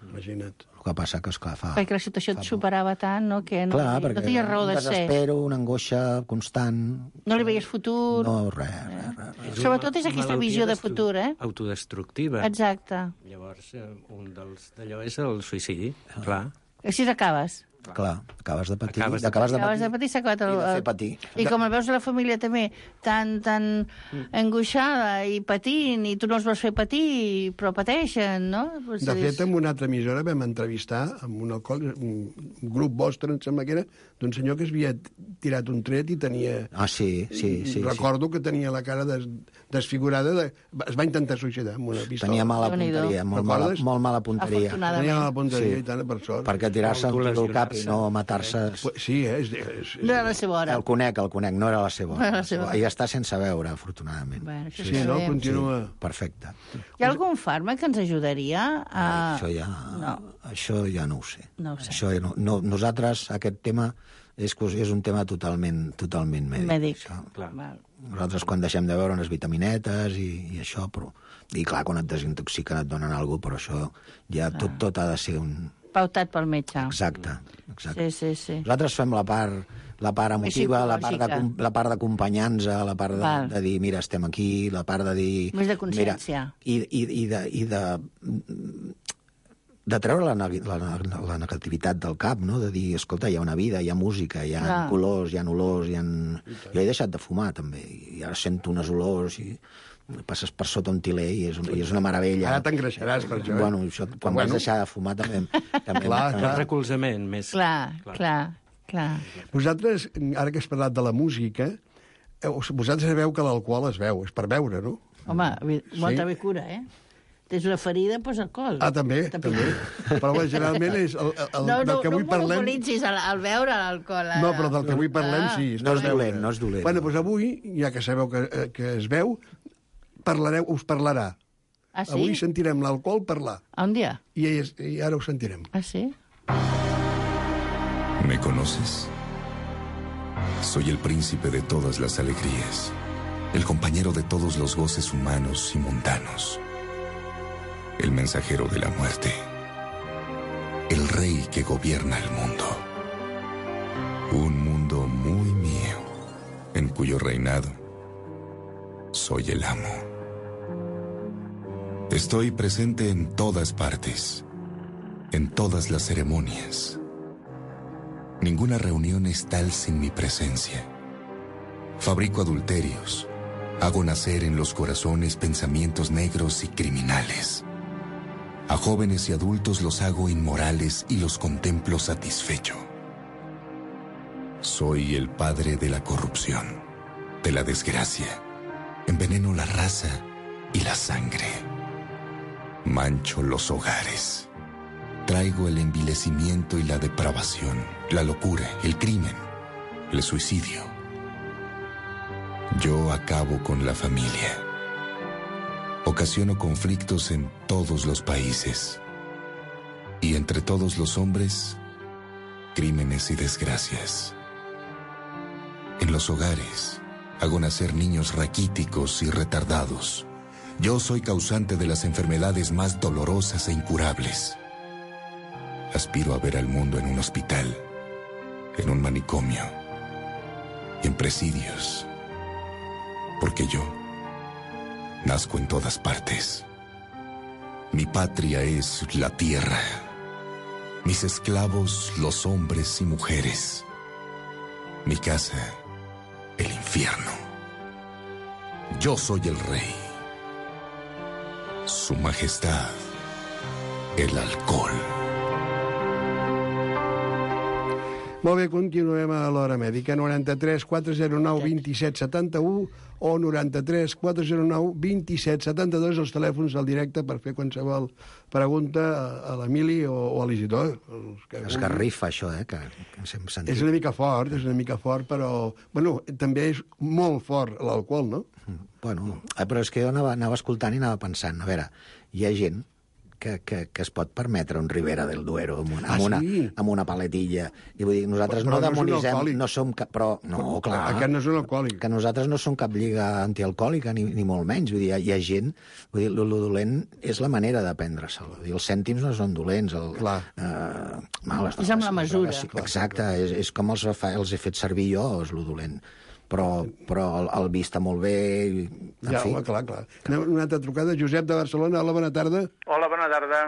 Imagina't. El que passa que, esclar, Perquè la situació et superava tant, no? Que no, clar, no tenies raó de ser. Un desespero, una angoixa constant. No li veies futur. No, res. Sobretot és aquesta visió de futur, Autodestructiva. Exacte. Llavors, un d'allò és el suïcidi, clar. Així acabes. Clar, acabes de patir. Acabes de patir, s'ha acabat i de fer patir. I com el veus a la família també tan angoixada i patint, i tu no els vols fer patir, però pateixen, no? De fet, en una altra emissora vam entrevistar amb un grup vostre, em sembla que era, d'un senyor que havia tirat un tret i tenia... Sí. Recordo que tenia la cara desfigurada. Es va intentar suïcidar amb una pistola. Tenia mala punteria, molt mala punteria. Tenia mala punteria i tant, per sort. Perquè tirar-se un tiro al cap i no matar-se... Sí, no era la seva hora. El conec, no era la seva hora. I està sense veure, afortunadament. Sí, no? Continua. Perfecte. Hi ha algun fàrmac que ens ajudaria a... Això ja no ho sé. No ho sé. Nosaltres, aquest tema és un tema totalment mèdic. Nosaltres, quan deixem de veure unes vitaminetes i això, però... I clar, quan et desintoxiquen et donen alguna cosa, però això ja tot ha de ser un... Pautat pel metge. Exacte. Sí. Nosaltres fem la part emotiva, la part d'acompanyar-nos, la part de dir, mira, estem aquí, la part de dir... Més de consciència. I de treure la negativitat del cap, no? De dir, escolta, hi ha una vida, hi ha música, hi ha colors, hi ha olors, Jo he deixat de fumar, també, i ara sento unes olors i... passes per sota un tiler i és una meravella. Ara t'engreixaràs per això. Bueno, quan vas deixar de fumar també... El recolzament més... Clar. Vosaltres, ara que has parlat de la música, vosaltres sabeu que l'alcohol es veu, és per beure, no? Home, molta bé cura, Tens una ferida, doncs alcohol. També. Però generalment és del que avui parlem... No monopolitzis al beure l'alcohol. No, però del que avui parlem sí. No és dolent. Bueno, doncs avui, ja que sabeu que es veu, us parlarà. Ah, sí? Avui sentirem l'alcohol parlar. Un dia? I ara ho sentirem. Ah, sí? ¿Me conoces? Soy el príncipe de todas las alegrías, el compañero de todos los goces humanos y mundanos, el mensajero de la muerte, el rey que gobierna el mundo. Un mundo muy mío, en cuyo reinado soy el amo. Estoy presente en todas partes, en todas las ceremonias. Ninguna reunión es tal sin mi presencia. Fabrico adulterios. Hago nacer en los corazones pensamientos negros y criminales. A jóvenes y adultos los hago inmorales y los contemplo satisfecho. Soy el padre de la corrupción, de la desgracia. Enveneno la raza y la sangre. Mancho los hogares. Traigo el envilecimiento y la depravación, la locura, el crimen, el suicidio. Yo acabo con la familia. Ocasiono conflictos en todos los países. Y entre todos los hombres, crímenes y desgracias. En los hogares, hago nacer niños raquíticos y retardados. Yo soy causante de las enfermedades más dolorosas e incurables. Aspiro a ver al mundo en un hospital, en un manicomio y en presidios. Porque yo nazco en todas partes. Mi patria es la tierra. Mis esclavos, los hombres y mujeres. Mi casa, el infierno. Yo soy el rey. Su majestad, el alcohol. Molt bé, continuem a l'Hora Mèdica. 93 409 27 71 o 93 409 27 72, els telèfons al directe per fer qualsevol pregunta a l'Emili o a l'Isidor. Esgarrifa, això, que hem sentit. És una mica fort, però... Bueno, també és molt fort l'alcohol, no? Bueno, però és que jo anava escoltant i anava pensant, a veure, hi ha gent es pot permetre un Ribera del Duero amb una paletilla. I vull dir, nosaltres no demonitzem, no som cap... Però, no, clar. Aquest no és un alcohòlic. Que nosaltres no som cap lliga antialcohòlica, ni molt menys. Vull dir, hi ha gent... Vull dir, lo dolent és la manera de prendre-se'l. Els cèntims no són dolents. És amb la mesura. Exacte, és com els he fet servir jo, és lo dolent. Però el vi està molt bé... Clar. Una altra trucada. Josep de Barcelona, hola, bona tarda. Hola, bona tarda.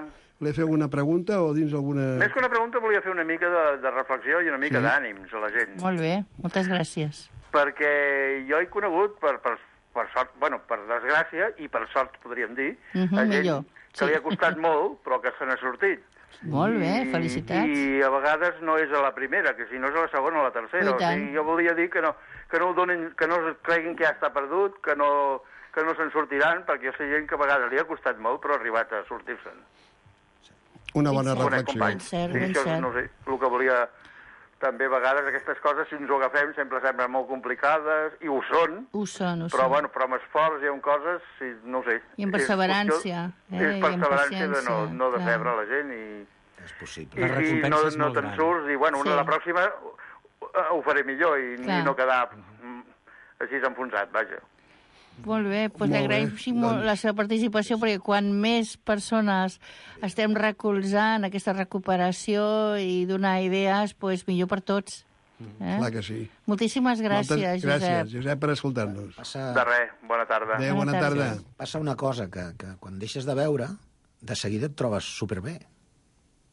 Li feu una pregunta o dins alguna... Més que una pregunta volia fer una mica de reflexió i una mica d'ànims a la gent. Molt bé, moltes gràcies. Perquè jo he conegut, per sort, bueno, per desgràcia, i per sort podríem dir, a gent que li ha costat molt, però que se n'ha sortit. Molt bé, felicitats. I a vegades no és a la primera, que si no és a la segona o a la tercera. O sigui, jo volia dir que no creguin que ja està perdut, que no se'n sortiran, perquè jo sé gent que a vegades li ha costat molt, però ha arribat a sortir-se'n. Una bona reflexió. Ben cert. No sé, el que volia... També a vegades aquestes coses, si ens ho agafem, sempre semblen molt complicades, i ho són. Però, bueno, però amb esforç hi ha coses, no sé. I amb perseverància. És perseverància de no decebre la gent i... És possible. I no te'n surts, i bueno, la pròxima ho faré millor i no quedar així enfonsat, vaja. Molt bé, doncs li agraïm molt la seva participació, perquè quan més persones estem recolzant aquesta recuperació i donar idees, doncs millor per tots. Clar que sí. Moltíssimes gràcies, Josep. Gràcies, Josep, per escoltar-nos. De res, bona tarda. Adéu, bona tarda. Passa una cosa, que quan deixes de beure, de seguida et trobes superbé.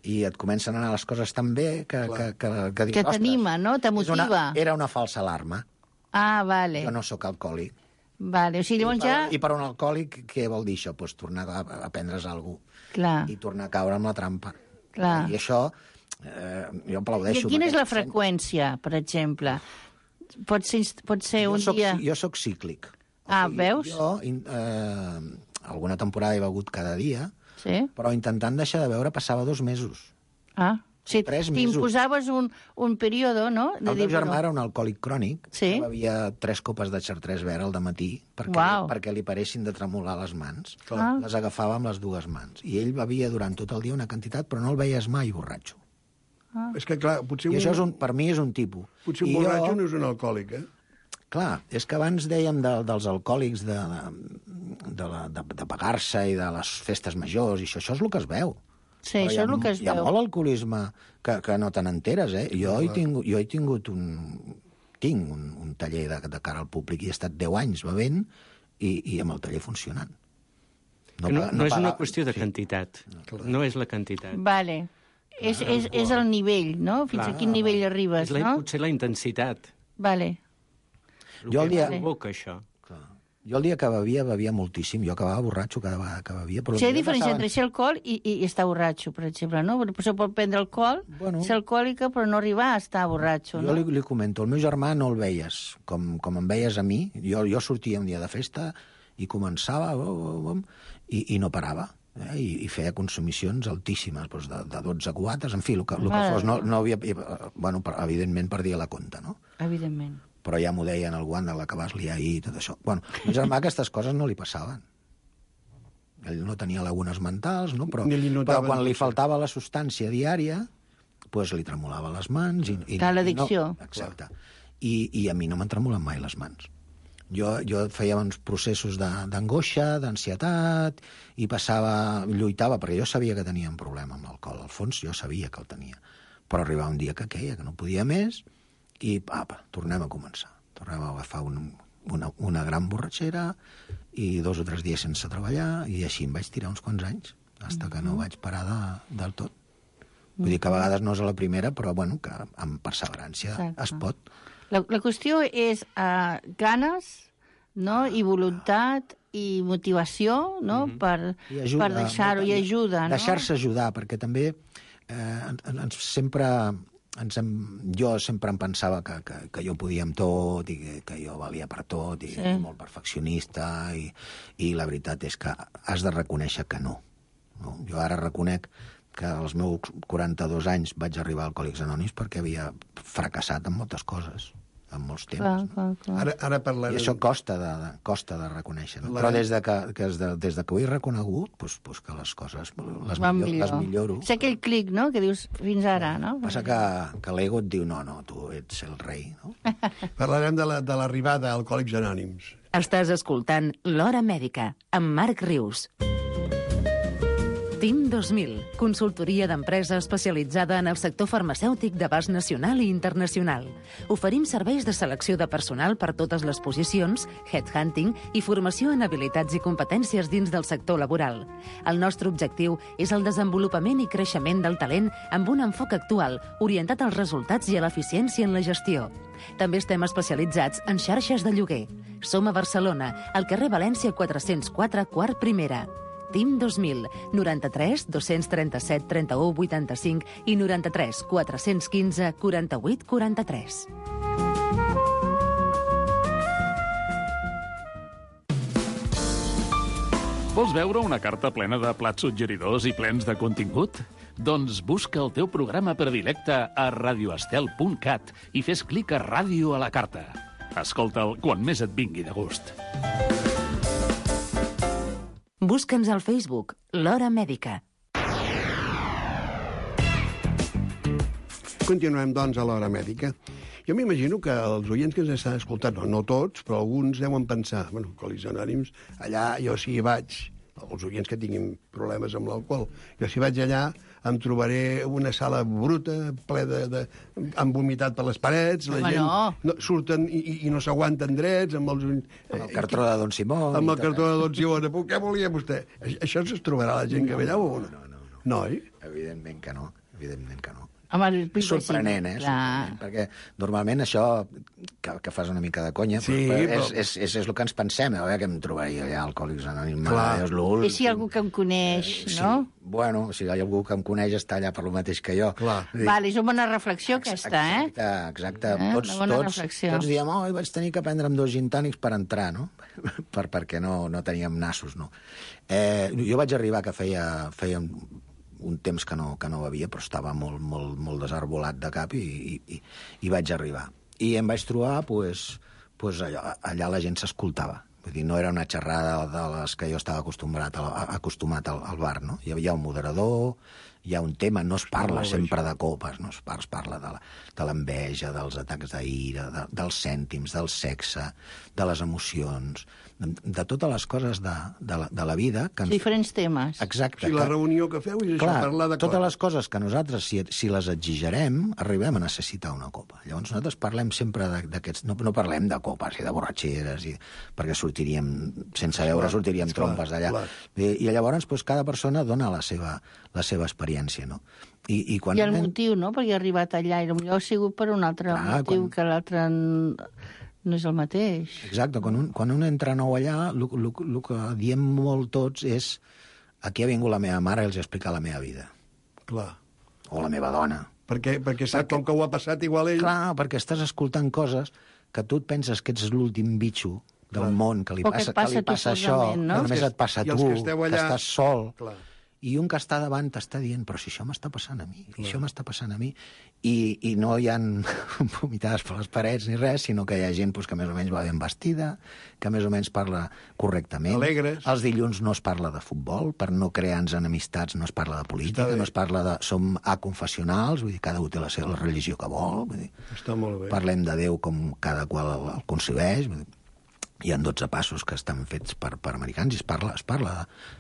I et comencen a anar les coses tan bé que dius, que t'anima, no? Te motiva. Era una falsa alarma. Ah, vale. Jo no sóc alcohòlic. Vale, o sigui, llavors ja... I per un alcohòlic, què vol dir això? Pues tornar a prendre's alguna cosa. Clar. I tornar a caure amb la trampa. Clar. I això, jo aplaudeixo. I quina és la freqüència, per exemple? Pot ser un dia... Jo sóc cíclic. Ah, veus? Jo, alguna temporada he begut cada dia, però intentant deixar de beure passava 2 mesos. Ah, sí, t'imposaves un període, no? El meu germà era un alcohòlic crònic, que bevia 3 copes de Chartres verd al dematí perquè li paressin de tremolar les mans. Les agafava amb les 2 mans. I ell bevia durant tot el dia una quantitat, però no el veies mai borratxo. És que, clar, potser... I això per mi és un tipus. Potser un borratxo no és un alcohòlic, Clar, és que abans dèiem dels alcohòlics de pagar-se i de les festes majors, i això és el que es veu. Sí, això és el que es veu. Hi ha molt alcoholisme que no te n'enteres, Jo he tingut tinc un taller de cara al públic i he estat 10 anys bevent i amb el taller funcionant. No és una qüestió de quantitat. No és la quantitat. Vale. És el nivell, no? Fins a quin nivell arribes, no? Potser la intensitat. Vale. Jo el dia... això. Jo el dia que bevia moltíssim. Jo acabava borratxo cada vegada que bevia. Hi ha diferència entre ser alcohol i estar borratxo, per exemple, no? Per això pot prendre alcohol, ser alcohòlica, però no arribar a estar borratxo, no? Jo li comento, el meu germà no el veies com em veies a mi. Jo sortia un dia de festa i començava i no parava. I feia consumicions altíssimes, de 12 cubates, en fi, el que fos. No havia... Bueno, evidentment perdia la compta, no? Evidentment. Però ja m'ho deien el guant de la que vas liar ahir i tot això. Bueno, el meu germà aquestes coses no li passaven. Ell no tenia lagunes mentals, no? Però quan li faltava la substància diària, doncs li tremolava les mans. L'addicció. Exacte. I a mi no m'han tremolat mai les mans. Jo feia uns processos d'angoixa, d'ansietat, i lluitava, perquè jo sabia que tenia un problema amb l'alcohol. Al fons jo sabia que el tenia. Però arribava un dia que queia, que no podia més, i tornem a començar. Tornem a agafar una gran borratxera i 2 o 3 dies sense treballar, i així em vaig tirar uns quants anys, fins que no vaig parar del tot. Vull dir que a vegades no és a la primera, però bueno, que amb perseverància es pot. La qüestió és ganes, no? I voluntat i motivació, no? Per deixar-ho, i ajuda, no? Deixar-se ajudar, perquè també jo sempre em pensava que jo podia amb tot i que jo valia per tot i molt perfeccionista i la veritat és que has de reconèixer que no. Jo ara reconec que als meus 42 anys vaig arribar a Alcohòlics Anònims perquè havia fracassat en moltes coses. en molts temps. Ara parlarem... I això costa de reconèixer. No? Però des de que ho he reconegut, doncs que les coses les milloro. És aquell clic, no?, que dius fins ara, no? Passa que l'ego et diu, no, tu ets el rei, no? Parlarem de l'arribada a Alcohòlics Anònims. Estàs escoltant L'Hora Mèdica, amb Marc Rius. TIM 2000, consultoria d'empresa especialitzada en el sector farmacèutic d'abast nacional i internacional. Oferim serveis de selecció de personal per totes les posicions, headhunting i formació en habilitats i competències dins del sector laboral. El nostre objectiu és el desenvolupament i creixement del talent amb un enfoc actual, orientat als resultats i a l'eficiència en la gestió. També estem especialitzats en xarxes de lloguer. Som a Barcelona, al carrer València 404, quart primera. TIM 2000, 93 237 31 85 i 93 415 48 43. Vols veure una carta plena de plats suggeridors i plens de contingut? Doncs busca el teu programa predilecte a radioestel.cat i fes clic a Ràdio a la carta. Escolta'l quan més et vingui de gust. Busca'ns al Facebook, L'Hora Mèdica. Continuem, doncs, a l'Hora Mèdica. Jo m'imagino que els oients que ens estan escoltant, no tots, però alguns deuen pensar, bueno, Alcohòlics Anònims, allà jo si hi vaig, els oients que tinguin problemes amb l'alcohol, jo si vaig allà em trobaré una sala bruta, ple han vomitat per les parets, la gent surten i no s'aguanten drets, amb el cartró de Don Simó. Amb el cartró de Don Simó. Què volia vostè? Això es trobarà la gent que ve allà o no? No, oi? Evidentment que no. És sorprenent, sorprenent, perquè normalment això, que fas una mica de conya, és el que ens pensem, a veure què em trobaria allà, Alcohòlics Anònims. I si hi ha algú que em coneix, no? Bueno, si hi ha algú que em coneix està allà per lo mateix que jo. Vale, és una bona reflexió aquesta, Exacte. Tots diem, vaig tenir que prendre'm 2 gin tònics per entrar, no? Perquè no teníem nassos, no? Jo vaig arribar que feia un temps que no bevia, però estava molt desarbolat de cap i vaig arribar. I em vaig trobar, allà la gent s'escoltava. Vull dir, no era una xerrada de les que jo estava acostumat al bar, no? Hi havia un moderador, hi ha un tema, no es parla sempre de copes, no es parla de l'enveja, dels atacs d'ira, dels cèntims, del sexe, de les emocions, de totes les coses de la vida. Diferents temes. Exacte. Si la reunió que feu és això, parlar de coses. Totes les coses que nosaltres, si les exigerem, arribem a necessitar una copa. Llavors nosaltres parlem sempre d'aquests... No parlem de copes i de borratxeres, perquè sense veure sortiríem trompes d'allà. I llavors cada persona dona la seva experiència, no? I el motiu, no? Perquè ha arribat allà i potser ha sigut per un altre motiu que l'altre no és el mateix. Exacte. Quan un entra nou allà, el que diem molt tots és aquí ha vingut la meva mare i els ha explicat la meva vida. Clar. O la meva dona. Perquè sap com que ho ha passat igual ell. Clar, perquè estàs escoltant coses que tu et penses que ets l'últim bitxo del món, que li passa això, que només et passa a tu, que estàs sol. I un que està davant t'està dient, però si això m'està passant a mi, això m'està passant a mi, i no hi ha vomitades per les parets ni res, sinó que hi ha gent que més o menys va ben vestida, que més o menys parla correctament. Alegres. Els dilluns no es parla de futbol, per no crear-nos enemistats no es parla de política, no es parla de... Som aconfessionals, vull dir, cada un té la religió que vol, vull dir. Està molt bé. Parlem de Déu com cada qual el concebeix, vull dir. Hi ha 12 passos que estan fets per americans i es parla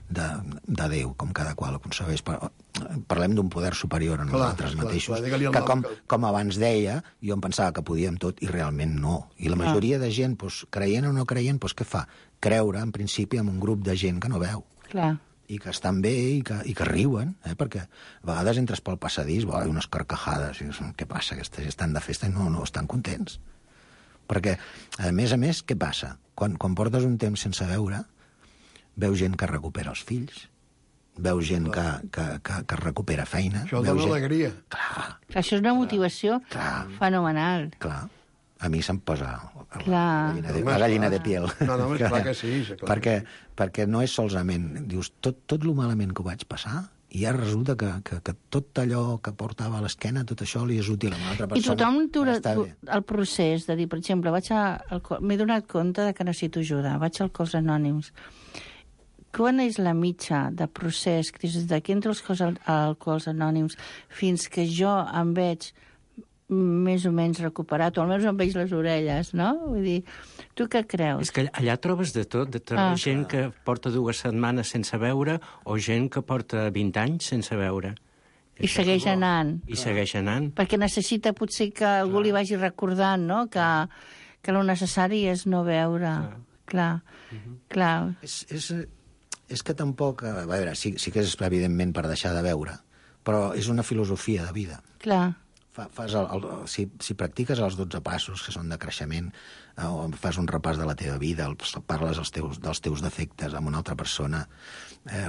de Déu, com cada qual ho concebeix. Parlem d'un poder superior a nosaltres mateixos, que com abans deia, jo em pensava que podíem tot i realment no. I la majoria de gent, creient o no creient, què fa? Creure, en principi, en un grup de gent que no veu. Clar. I que estan bé i que riuen, perquè a vegades entres pel passadís, unes carcajades, i dius, què passa? Aquests estan de festa i no estan contents. Perquè, a més, què passa? Quan portes un temps sense veure, veus gent que recupera els fills, veus gent que recupera feina... Això dona alegria. Clar. Això és una motivació fenomenal. Clar. A mi se'm posa la gallina de piel. No, clar que sí. Perquè no és solament... Dius, tot lo malament que ho vaig passar i ara resulta que tot allò que portava a l'esquena, tot això li és útil a una altra persona. I tothom el procés de dir, per exemple, m'he donat compte que necessito ajuda, vaig al Alcohòlics Anònims. Quan és la mitja de procés des que entro als Alcohòlics Anònims fins que jo em veig més o menys recuperat, o almenys em veig les orelles, no? Vull dir, tu què creus? És que allà trobes de tot, gent que porta 2 setmanes sense veure o gent que porta 20 anys sense veure. I segueix anant. I segueix anant. Perquè necessita potser que algú li vagi recordant, no?, que el necessari és no veure. Clar. És que tampoc... A veure, sí que és evidentment per deixar de veure, però és una filosofia de vida. Clar. Si practiques els 12 passos, que són de creixement, o fas un repàs de la teva vida, parles dels teus defectes amb una altra persona,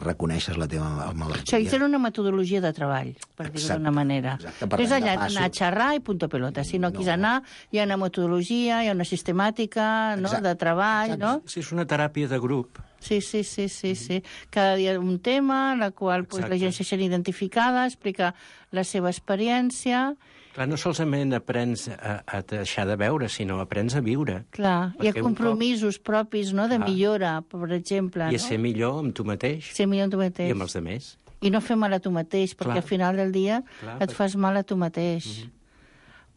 reconeixes la teva malaltia... Això és una metodologia de treball, per dir-ho d'una manera. No és allà anar a xerrar i punto pelota, sinó que és anar, hi ha una metodologia, hi ha una sistemàtica de treball, no? Sí, és una teràpia de grup. Sí. Cada dia un tema, en el qual la gent se sent identificada, explica la seva experiència... Clar, no solament aprens a deixar de veure, sinó aprens a viure. Clar, hi ha compromisos propis, no?, de millora, per exemple. I a ser millor amb tu mateix. Ser millor amb tu mateix. I amb els altres. I no fer mal a tu mateix, perquè al final del dia et fas mal a tu mateix.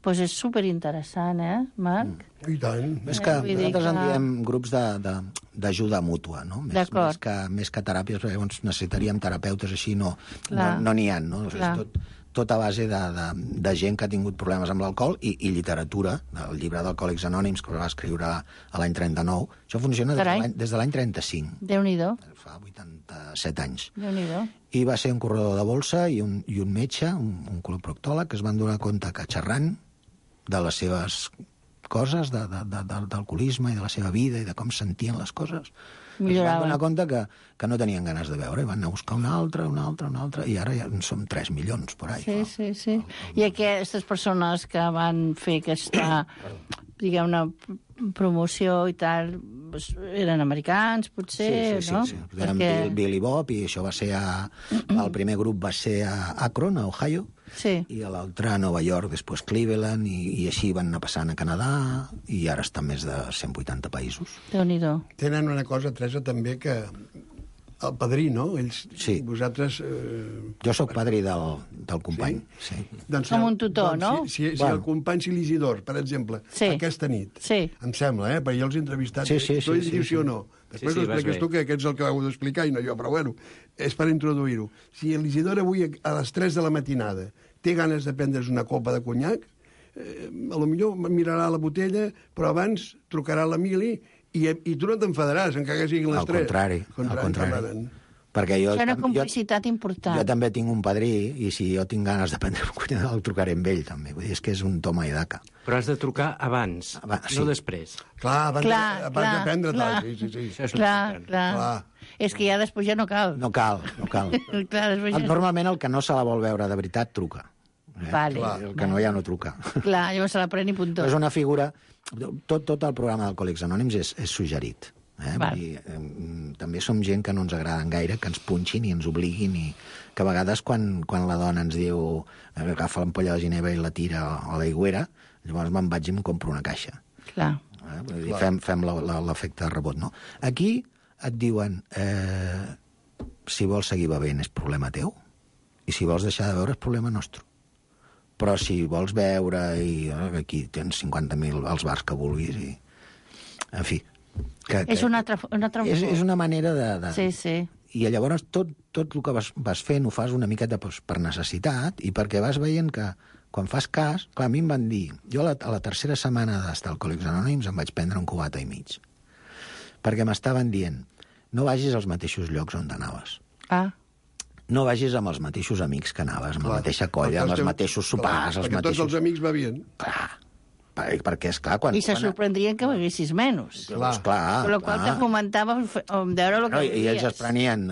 Doncs és superinteressant, Marc? I tant. És que nosaltres en diem grups d'ajuda mútua, no? Més que teràpies, perquè llavors necessitaríem terapeutes així, no n'hi ha, no? Tot a base de gent que ha tingut problemes amb l'alcohol i literatura, del llibre d'Alcohòlics Anònims, que va escriure a l'any 39. Això funciona des de l'any 35. Déu-n'hi-do. Fa 87 anys. Déu-n'hi-do. I va ser un corredor de bolsa i un metge, un coloproctòleg, que es van donar compte que xerrant de les seves coses, d'alcoholisme i de la seva vida i de com sentien les coses, es van donar compte que no tenien ganes de veure i van anar a buscar una altra, i ara ja en som 3 milions por ahí. Sí. I aquestes persones que van fer aquesta, diguem-ne, promoció i tal, eren americans, potser, no? Sí. Eren Bill i Bob, i això va ser el primer grup va ser a Akron, a Ohio, i l'altre a Nova York, després Cleveland, i així van anar passant a Canadà, i ara estan més de 180 països. Déu-n'hi-do. Tenen una cosa, Teresa, també, que el padrí, no? Vosaltres... Jo sóc padrí del company. Com un tutor, no? Si el company Silisidor, per exemple, aquesta nit, em sembla, perquè jo els he entrevistat, tu dius sí o no. Després ho expliques tu, que ets el que ho heu d'explicar, i no jo, però bueno, és per introduir-ho. Si l'Isidor avui a les 3 de la matinada té ganes de prendre's una copa de conyac, potser mirarà la botella, però abans trucarà a l'Emili i tu no t'enfadaràs, encara que siguin les 3. Al contrari. Perquè és una complicitat important. Jo també tinc un padrí, i si jo tinc ganes de prendre un conyac, el trucaré amb ell, també. Vull dir, és que és un toma i daca. Però has de trucar abans, no després. Clar, abans de prendre-te'l. Sí. Clar. És que ja després ja no cal. No cal. Normalment el que no se la vol veure de veritat truca. El que no ja no truca. Clar, llavors se la pren i puntó. És una figura... Tot el programa d'Alcohòlics Anònims és suggerit. També som gent que no ens agraden gaire, que ens punxin i ens obliguin, i que a vegades quan la dona ens diu agafa l'ampolla de ginebra i la tira a l'aigüera, llavors me'n vaig i em compro una caixa. Clar. Fem l'efecte de rebot, no? Aquí et diuen si vols seguir bevent és problema teu, i si vols deixar de beure és problema nostre. Però si vols beure, i aquí tens 50.000 als bars que vulguis, i en fi. És una altra és una manera de... Sí. I llavors tot el que vas fent ho fas una miqueta per necessitat, i perquè vas veient que quan fas cas... Clar, a mi em van dir... Jo a la tercera setmana d'estar a Alcohòlics Anònims em vaig prendre un cubata i mig. Perquè m'estaven dient, no vagis als mateixos llocs on anaves. No vagis amb els mateixos amics que anaves, amb la mateixa colla, amb els mateixos sopars... Perquè tots els amics bevien. Clar, perquè és clar... I se sorprendrien que beguessis menys. Clar. Per la qual te fomentava veure el que veies. I ells es prenien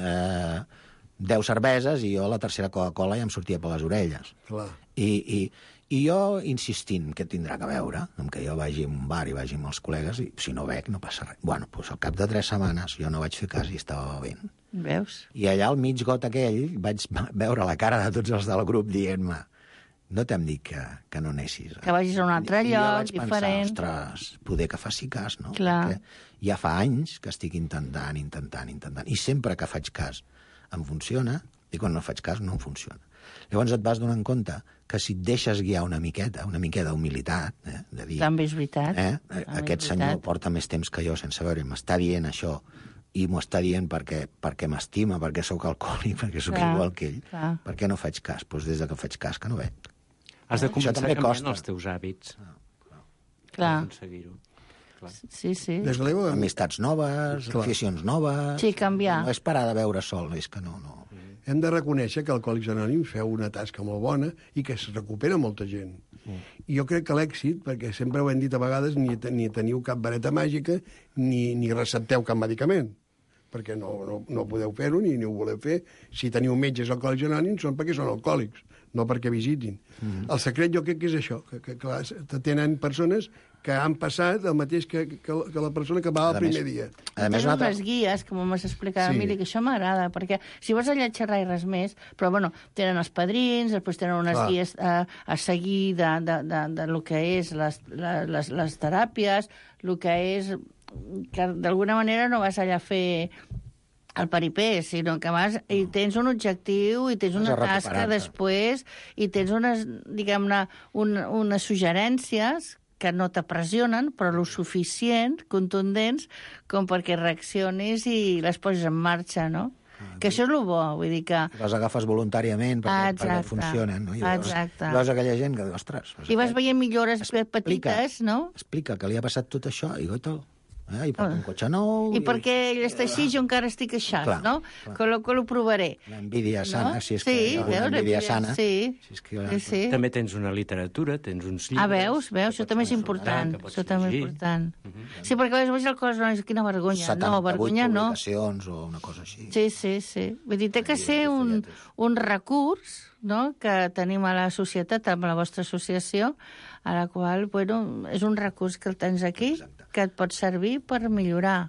10 cerveses i jo la tercera Coca-Cola ja em sortia per les orelles. Clar. I I jo insistint que tindrà que veure, amb que jo vagi a un bar i vagi amb els col·legues, i si no bec no passa res. Bueno, doncs al cap de 3 setmanes jo no vaig fer cas i estava bevent. Veus? I allà al mig got aquell vaig veure la cara de tots els del grup dient-me no t'hem dit que no anessis. Que vagis a un altre lloc, diferent. I jo vaig pensar, ostres, poder que faci cas, no? Clar. Perquè ja fa anys que estic intentant, i sempre que faig cas em funciona, i quan no faig cas no em funciona. Llavors et vas donant compte que si et deixes guiar una miqueta d'humilitat, de dir... També és veritat. Aquest senyor porta més temps que jo sense veure, m'està dient això, i m'ho està dient perquè m'estima, perquè sóc alcohòlic, perquè sóc igual que ell. Per què no faig cas? Doncs des que faig cas que no bec. Has de començar canviant els teus hàbits. Clar. Aconseguir-ho. Sí. Amistats noves, aficions noves... Sí, canviar. No és parar de beure sol, és que no... Hem de reconèixer que Alcohòlics Anònims feu una tasca molt bona i que es recupera molta gent. I jo crec que l'èxit, perquè sempre ho hem dit a vegades, ni teniu cap vareta màgica ni recepteu cap medicament, perquè no podeu fer-ho ni ho voleu fer. Si teniu metges Alcohòlics Anònims són perquè són alcohòlics, no perquè visitin. El secret jo crec que és això, que clar, tenen persones que han passat el mateix que la persona que va el primer dia. Tenen unes guies, com m'has explicat, Emili, que això m'agrada, perquè si vas allà a xerrar i res més, però bueno, tenen els padrins, després tenen unes guies a seguir de lo que és les teràpies, el que és... que d'alguna manera no vas allà a fer el paripé, sinó que vas i tens un objectiu i tens una tasca després i tens unes, diguem-ne, unes suggerències que no t'apressionen, però lo suficient, contundents, com perquè reaccionis i les poses en marxa, no? Que això és el bo, vull dir que... Les agafes voluntàriament perquè funcionen, no? Exacte. I veus aquella gent que, ostres... I vas veient millores petites, no? Explica que li ha passat tot això i goita... I porta un cotxe nou... I perquè ell està així, jo encara estic així, no? Que ho provaré. L'envídia sana, si és que hi ha una envídia sana. Sí. També tens una literatura, tens uns llibres... Veus? Això també és important. Això també és important. Sí, perquè a vegades el cos, quina vergonya. No, vergonya no. 78 publicacions o una cosa així. Sí. Vull dir, té que ser un recurs, no?, que tenim a la societat, amb la vostra associació, a la qual, bueno, és un recurs que el tens aquí, que et pot servir per millorar,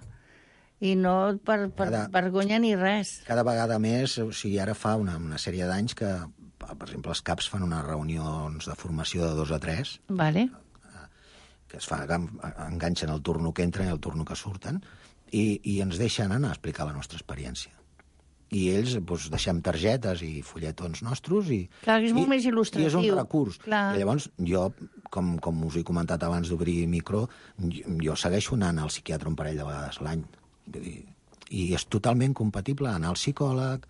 i no per vergonya ni res. Cada vegada més, o sigui, ara fa una sèrie d'anys que, per exemple, els CAPs fan unes reunions de formació de 2 a 3, vale, que es fa, enganxen el turno que entren i el turno que surten, i ens deixen anar a explicar la nostra experiència. I ells deixem targetes i fulletons nostres Clar, és molt més il·lustratiu. I és un recurs. Clar. I llavors jo, com us he comentat abans d'obrir micro, jo segueixo anant al psiquiatre un parell de vegades l'any. I és totalment compatible anar al psicòleg,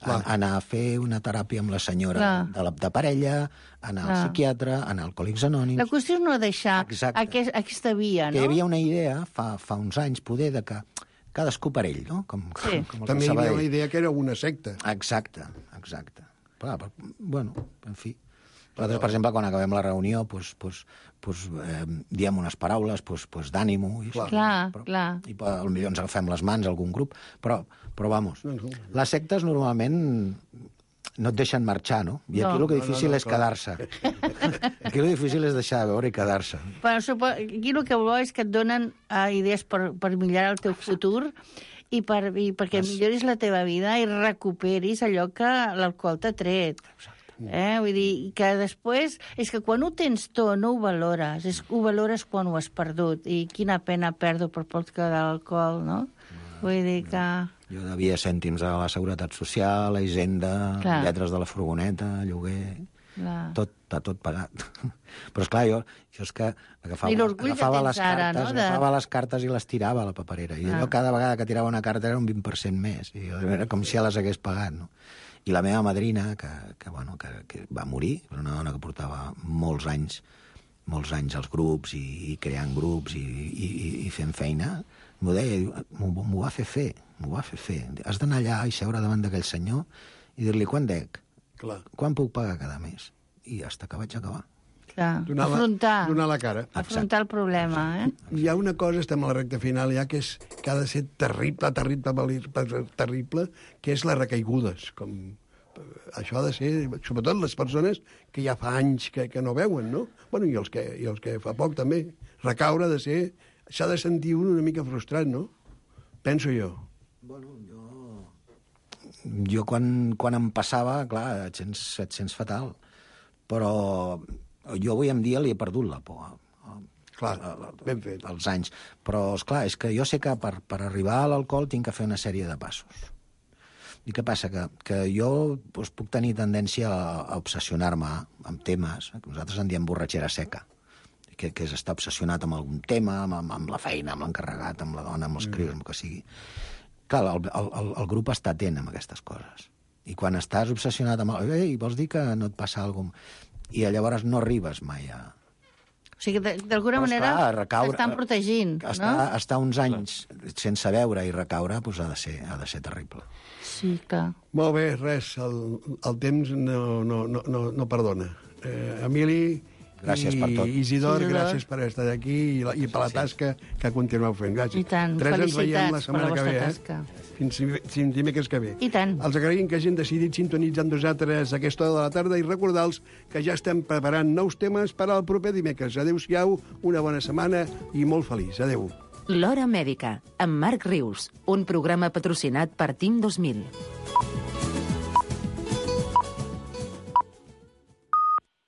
anar a fer una teràpia amb la senyora de parella, anar al psiquiatre, anar a Alcohòlics Anònims... La qüestió és no deixar aquesta via, no? Que hi havia una idea, fa uns anys, poder, de que cadascú per ell, no? També hi havia la idea que era una secta. Exacte. Però, bueno, en fi. Nosaltres, per exemple, quan acabem la reunió, diem unes paraules d'ànimo. Clar. I potser ens agafem les mans a algun grup. Però vamos, les sectes normalment no et deixen marxar, no? I aquí el que difícil és quedar-se. Aquí el difícil és deixar de veure i quedar-se. Però aquí el que vol és que et donen idees per millorar el teu futur i perquè milloris la teva vida i recuperis allò que l'alcohol t'ha tret. Vull dir, que després... És que quan ho tens tot no ho valores, ho valores quan ho has perdut. I quina pena perdre per portar l'alcohol, no? Vull dir que... Jo devia cèntims a la Seguretat Social, a Hisenda, lletres de la furgoneta, lloguer... Tot pagat. Però, esclar, jo és que agafava les cartes i les tirava a la paperera. I allò cada vegada que tirava una carta era un 20% més. I era com si ja les hagués pagat, no? I la meva madrina, que va morir, una dona que portava molts anys als grups i creant grups i fent feina, m'ho deia, m'ho va fer fer. Has d'anar allà i seure davant d'aquell senyor i dir-li quan dec, quan puc pagar cada mes. I fins que vaig acabar. Donar la cara. Afrontar el problema, Hi ha una cosa, estem a la recta final ja, que ha de ser terrible, que és les recaigudes, com això ha de ser, sobretot les persones que ja fa anys que no veuen, no? Bueno, i els que fa poc també. Recaure ha de ser... S'ha de sentir un una mica frustrat, no? Penso jo. Bueno, jo quan em passava, clar, et sents fatal. Però jo avui en dia li he perdut la por. Clar, ben fet. Els anys. Però, esclar, és que jo sé que per arribar a l'alcohol tinc que fer una sèrie de passos. I què passa? Que jo puc tenir tendència a obsessionar-me amb temes, que nosaltres en diem borratxera seca, que és estar obsessionat amb algun tema, amb la feina, amb l'encarregat, amb la dona, amb els crios, amb el que sigui. Clar, el grup està atent amb aquestes coses. I quan estàs obsessionat amb... Ei, vols dir que no et passa alguna cosa? I llavors no arribes mai a... O sigui, d'alguna manera t'estan protegint, no? Estar uns anys sense veure i recaure ha de ser terrible. Sí, clar. Molt bé, res, el temps no perdona. Emili... Gràcies per tot. Isidor, gràcies per estar aquí i per la tasca que continueu fent. Gràcies. I tant, felicitats per la vostra tasca. Fins dimecres que ve. I tant. Els agraïm que hagin decidit sintonitzar amb nosaltres a aquesta hora de la tarda i recordar-los que ja estem preparant nous temes per al proper dimecres. Adéu-siau, una bona setmana i molt feliç. Adéu. L'Hora Mèdica, amb Marc Rius, un programa patrocinat per Team 2000.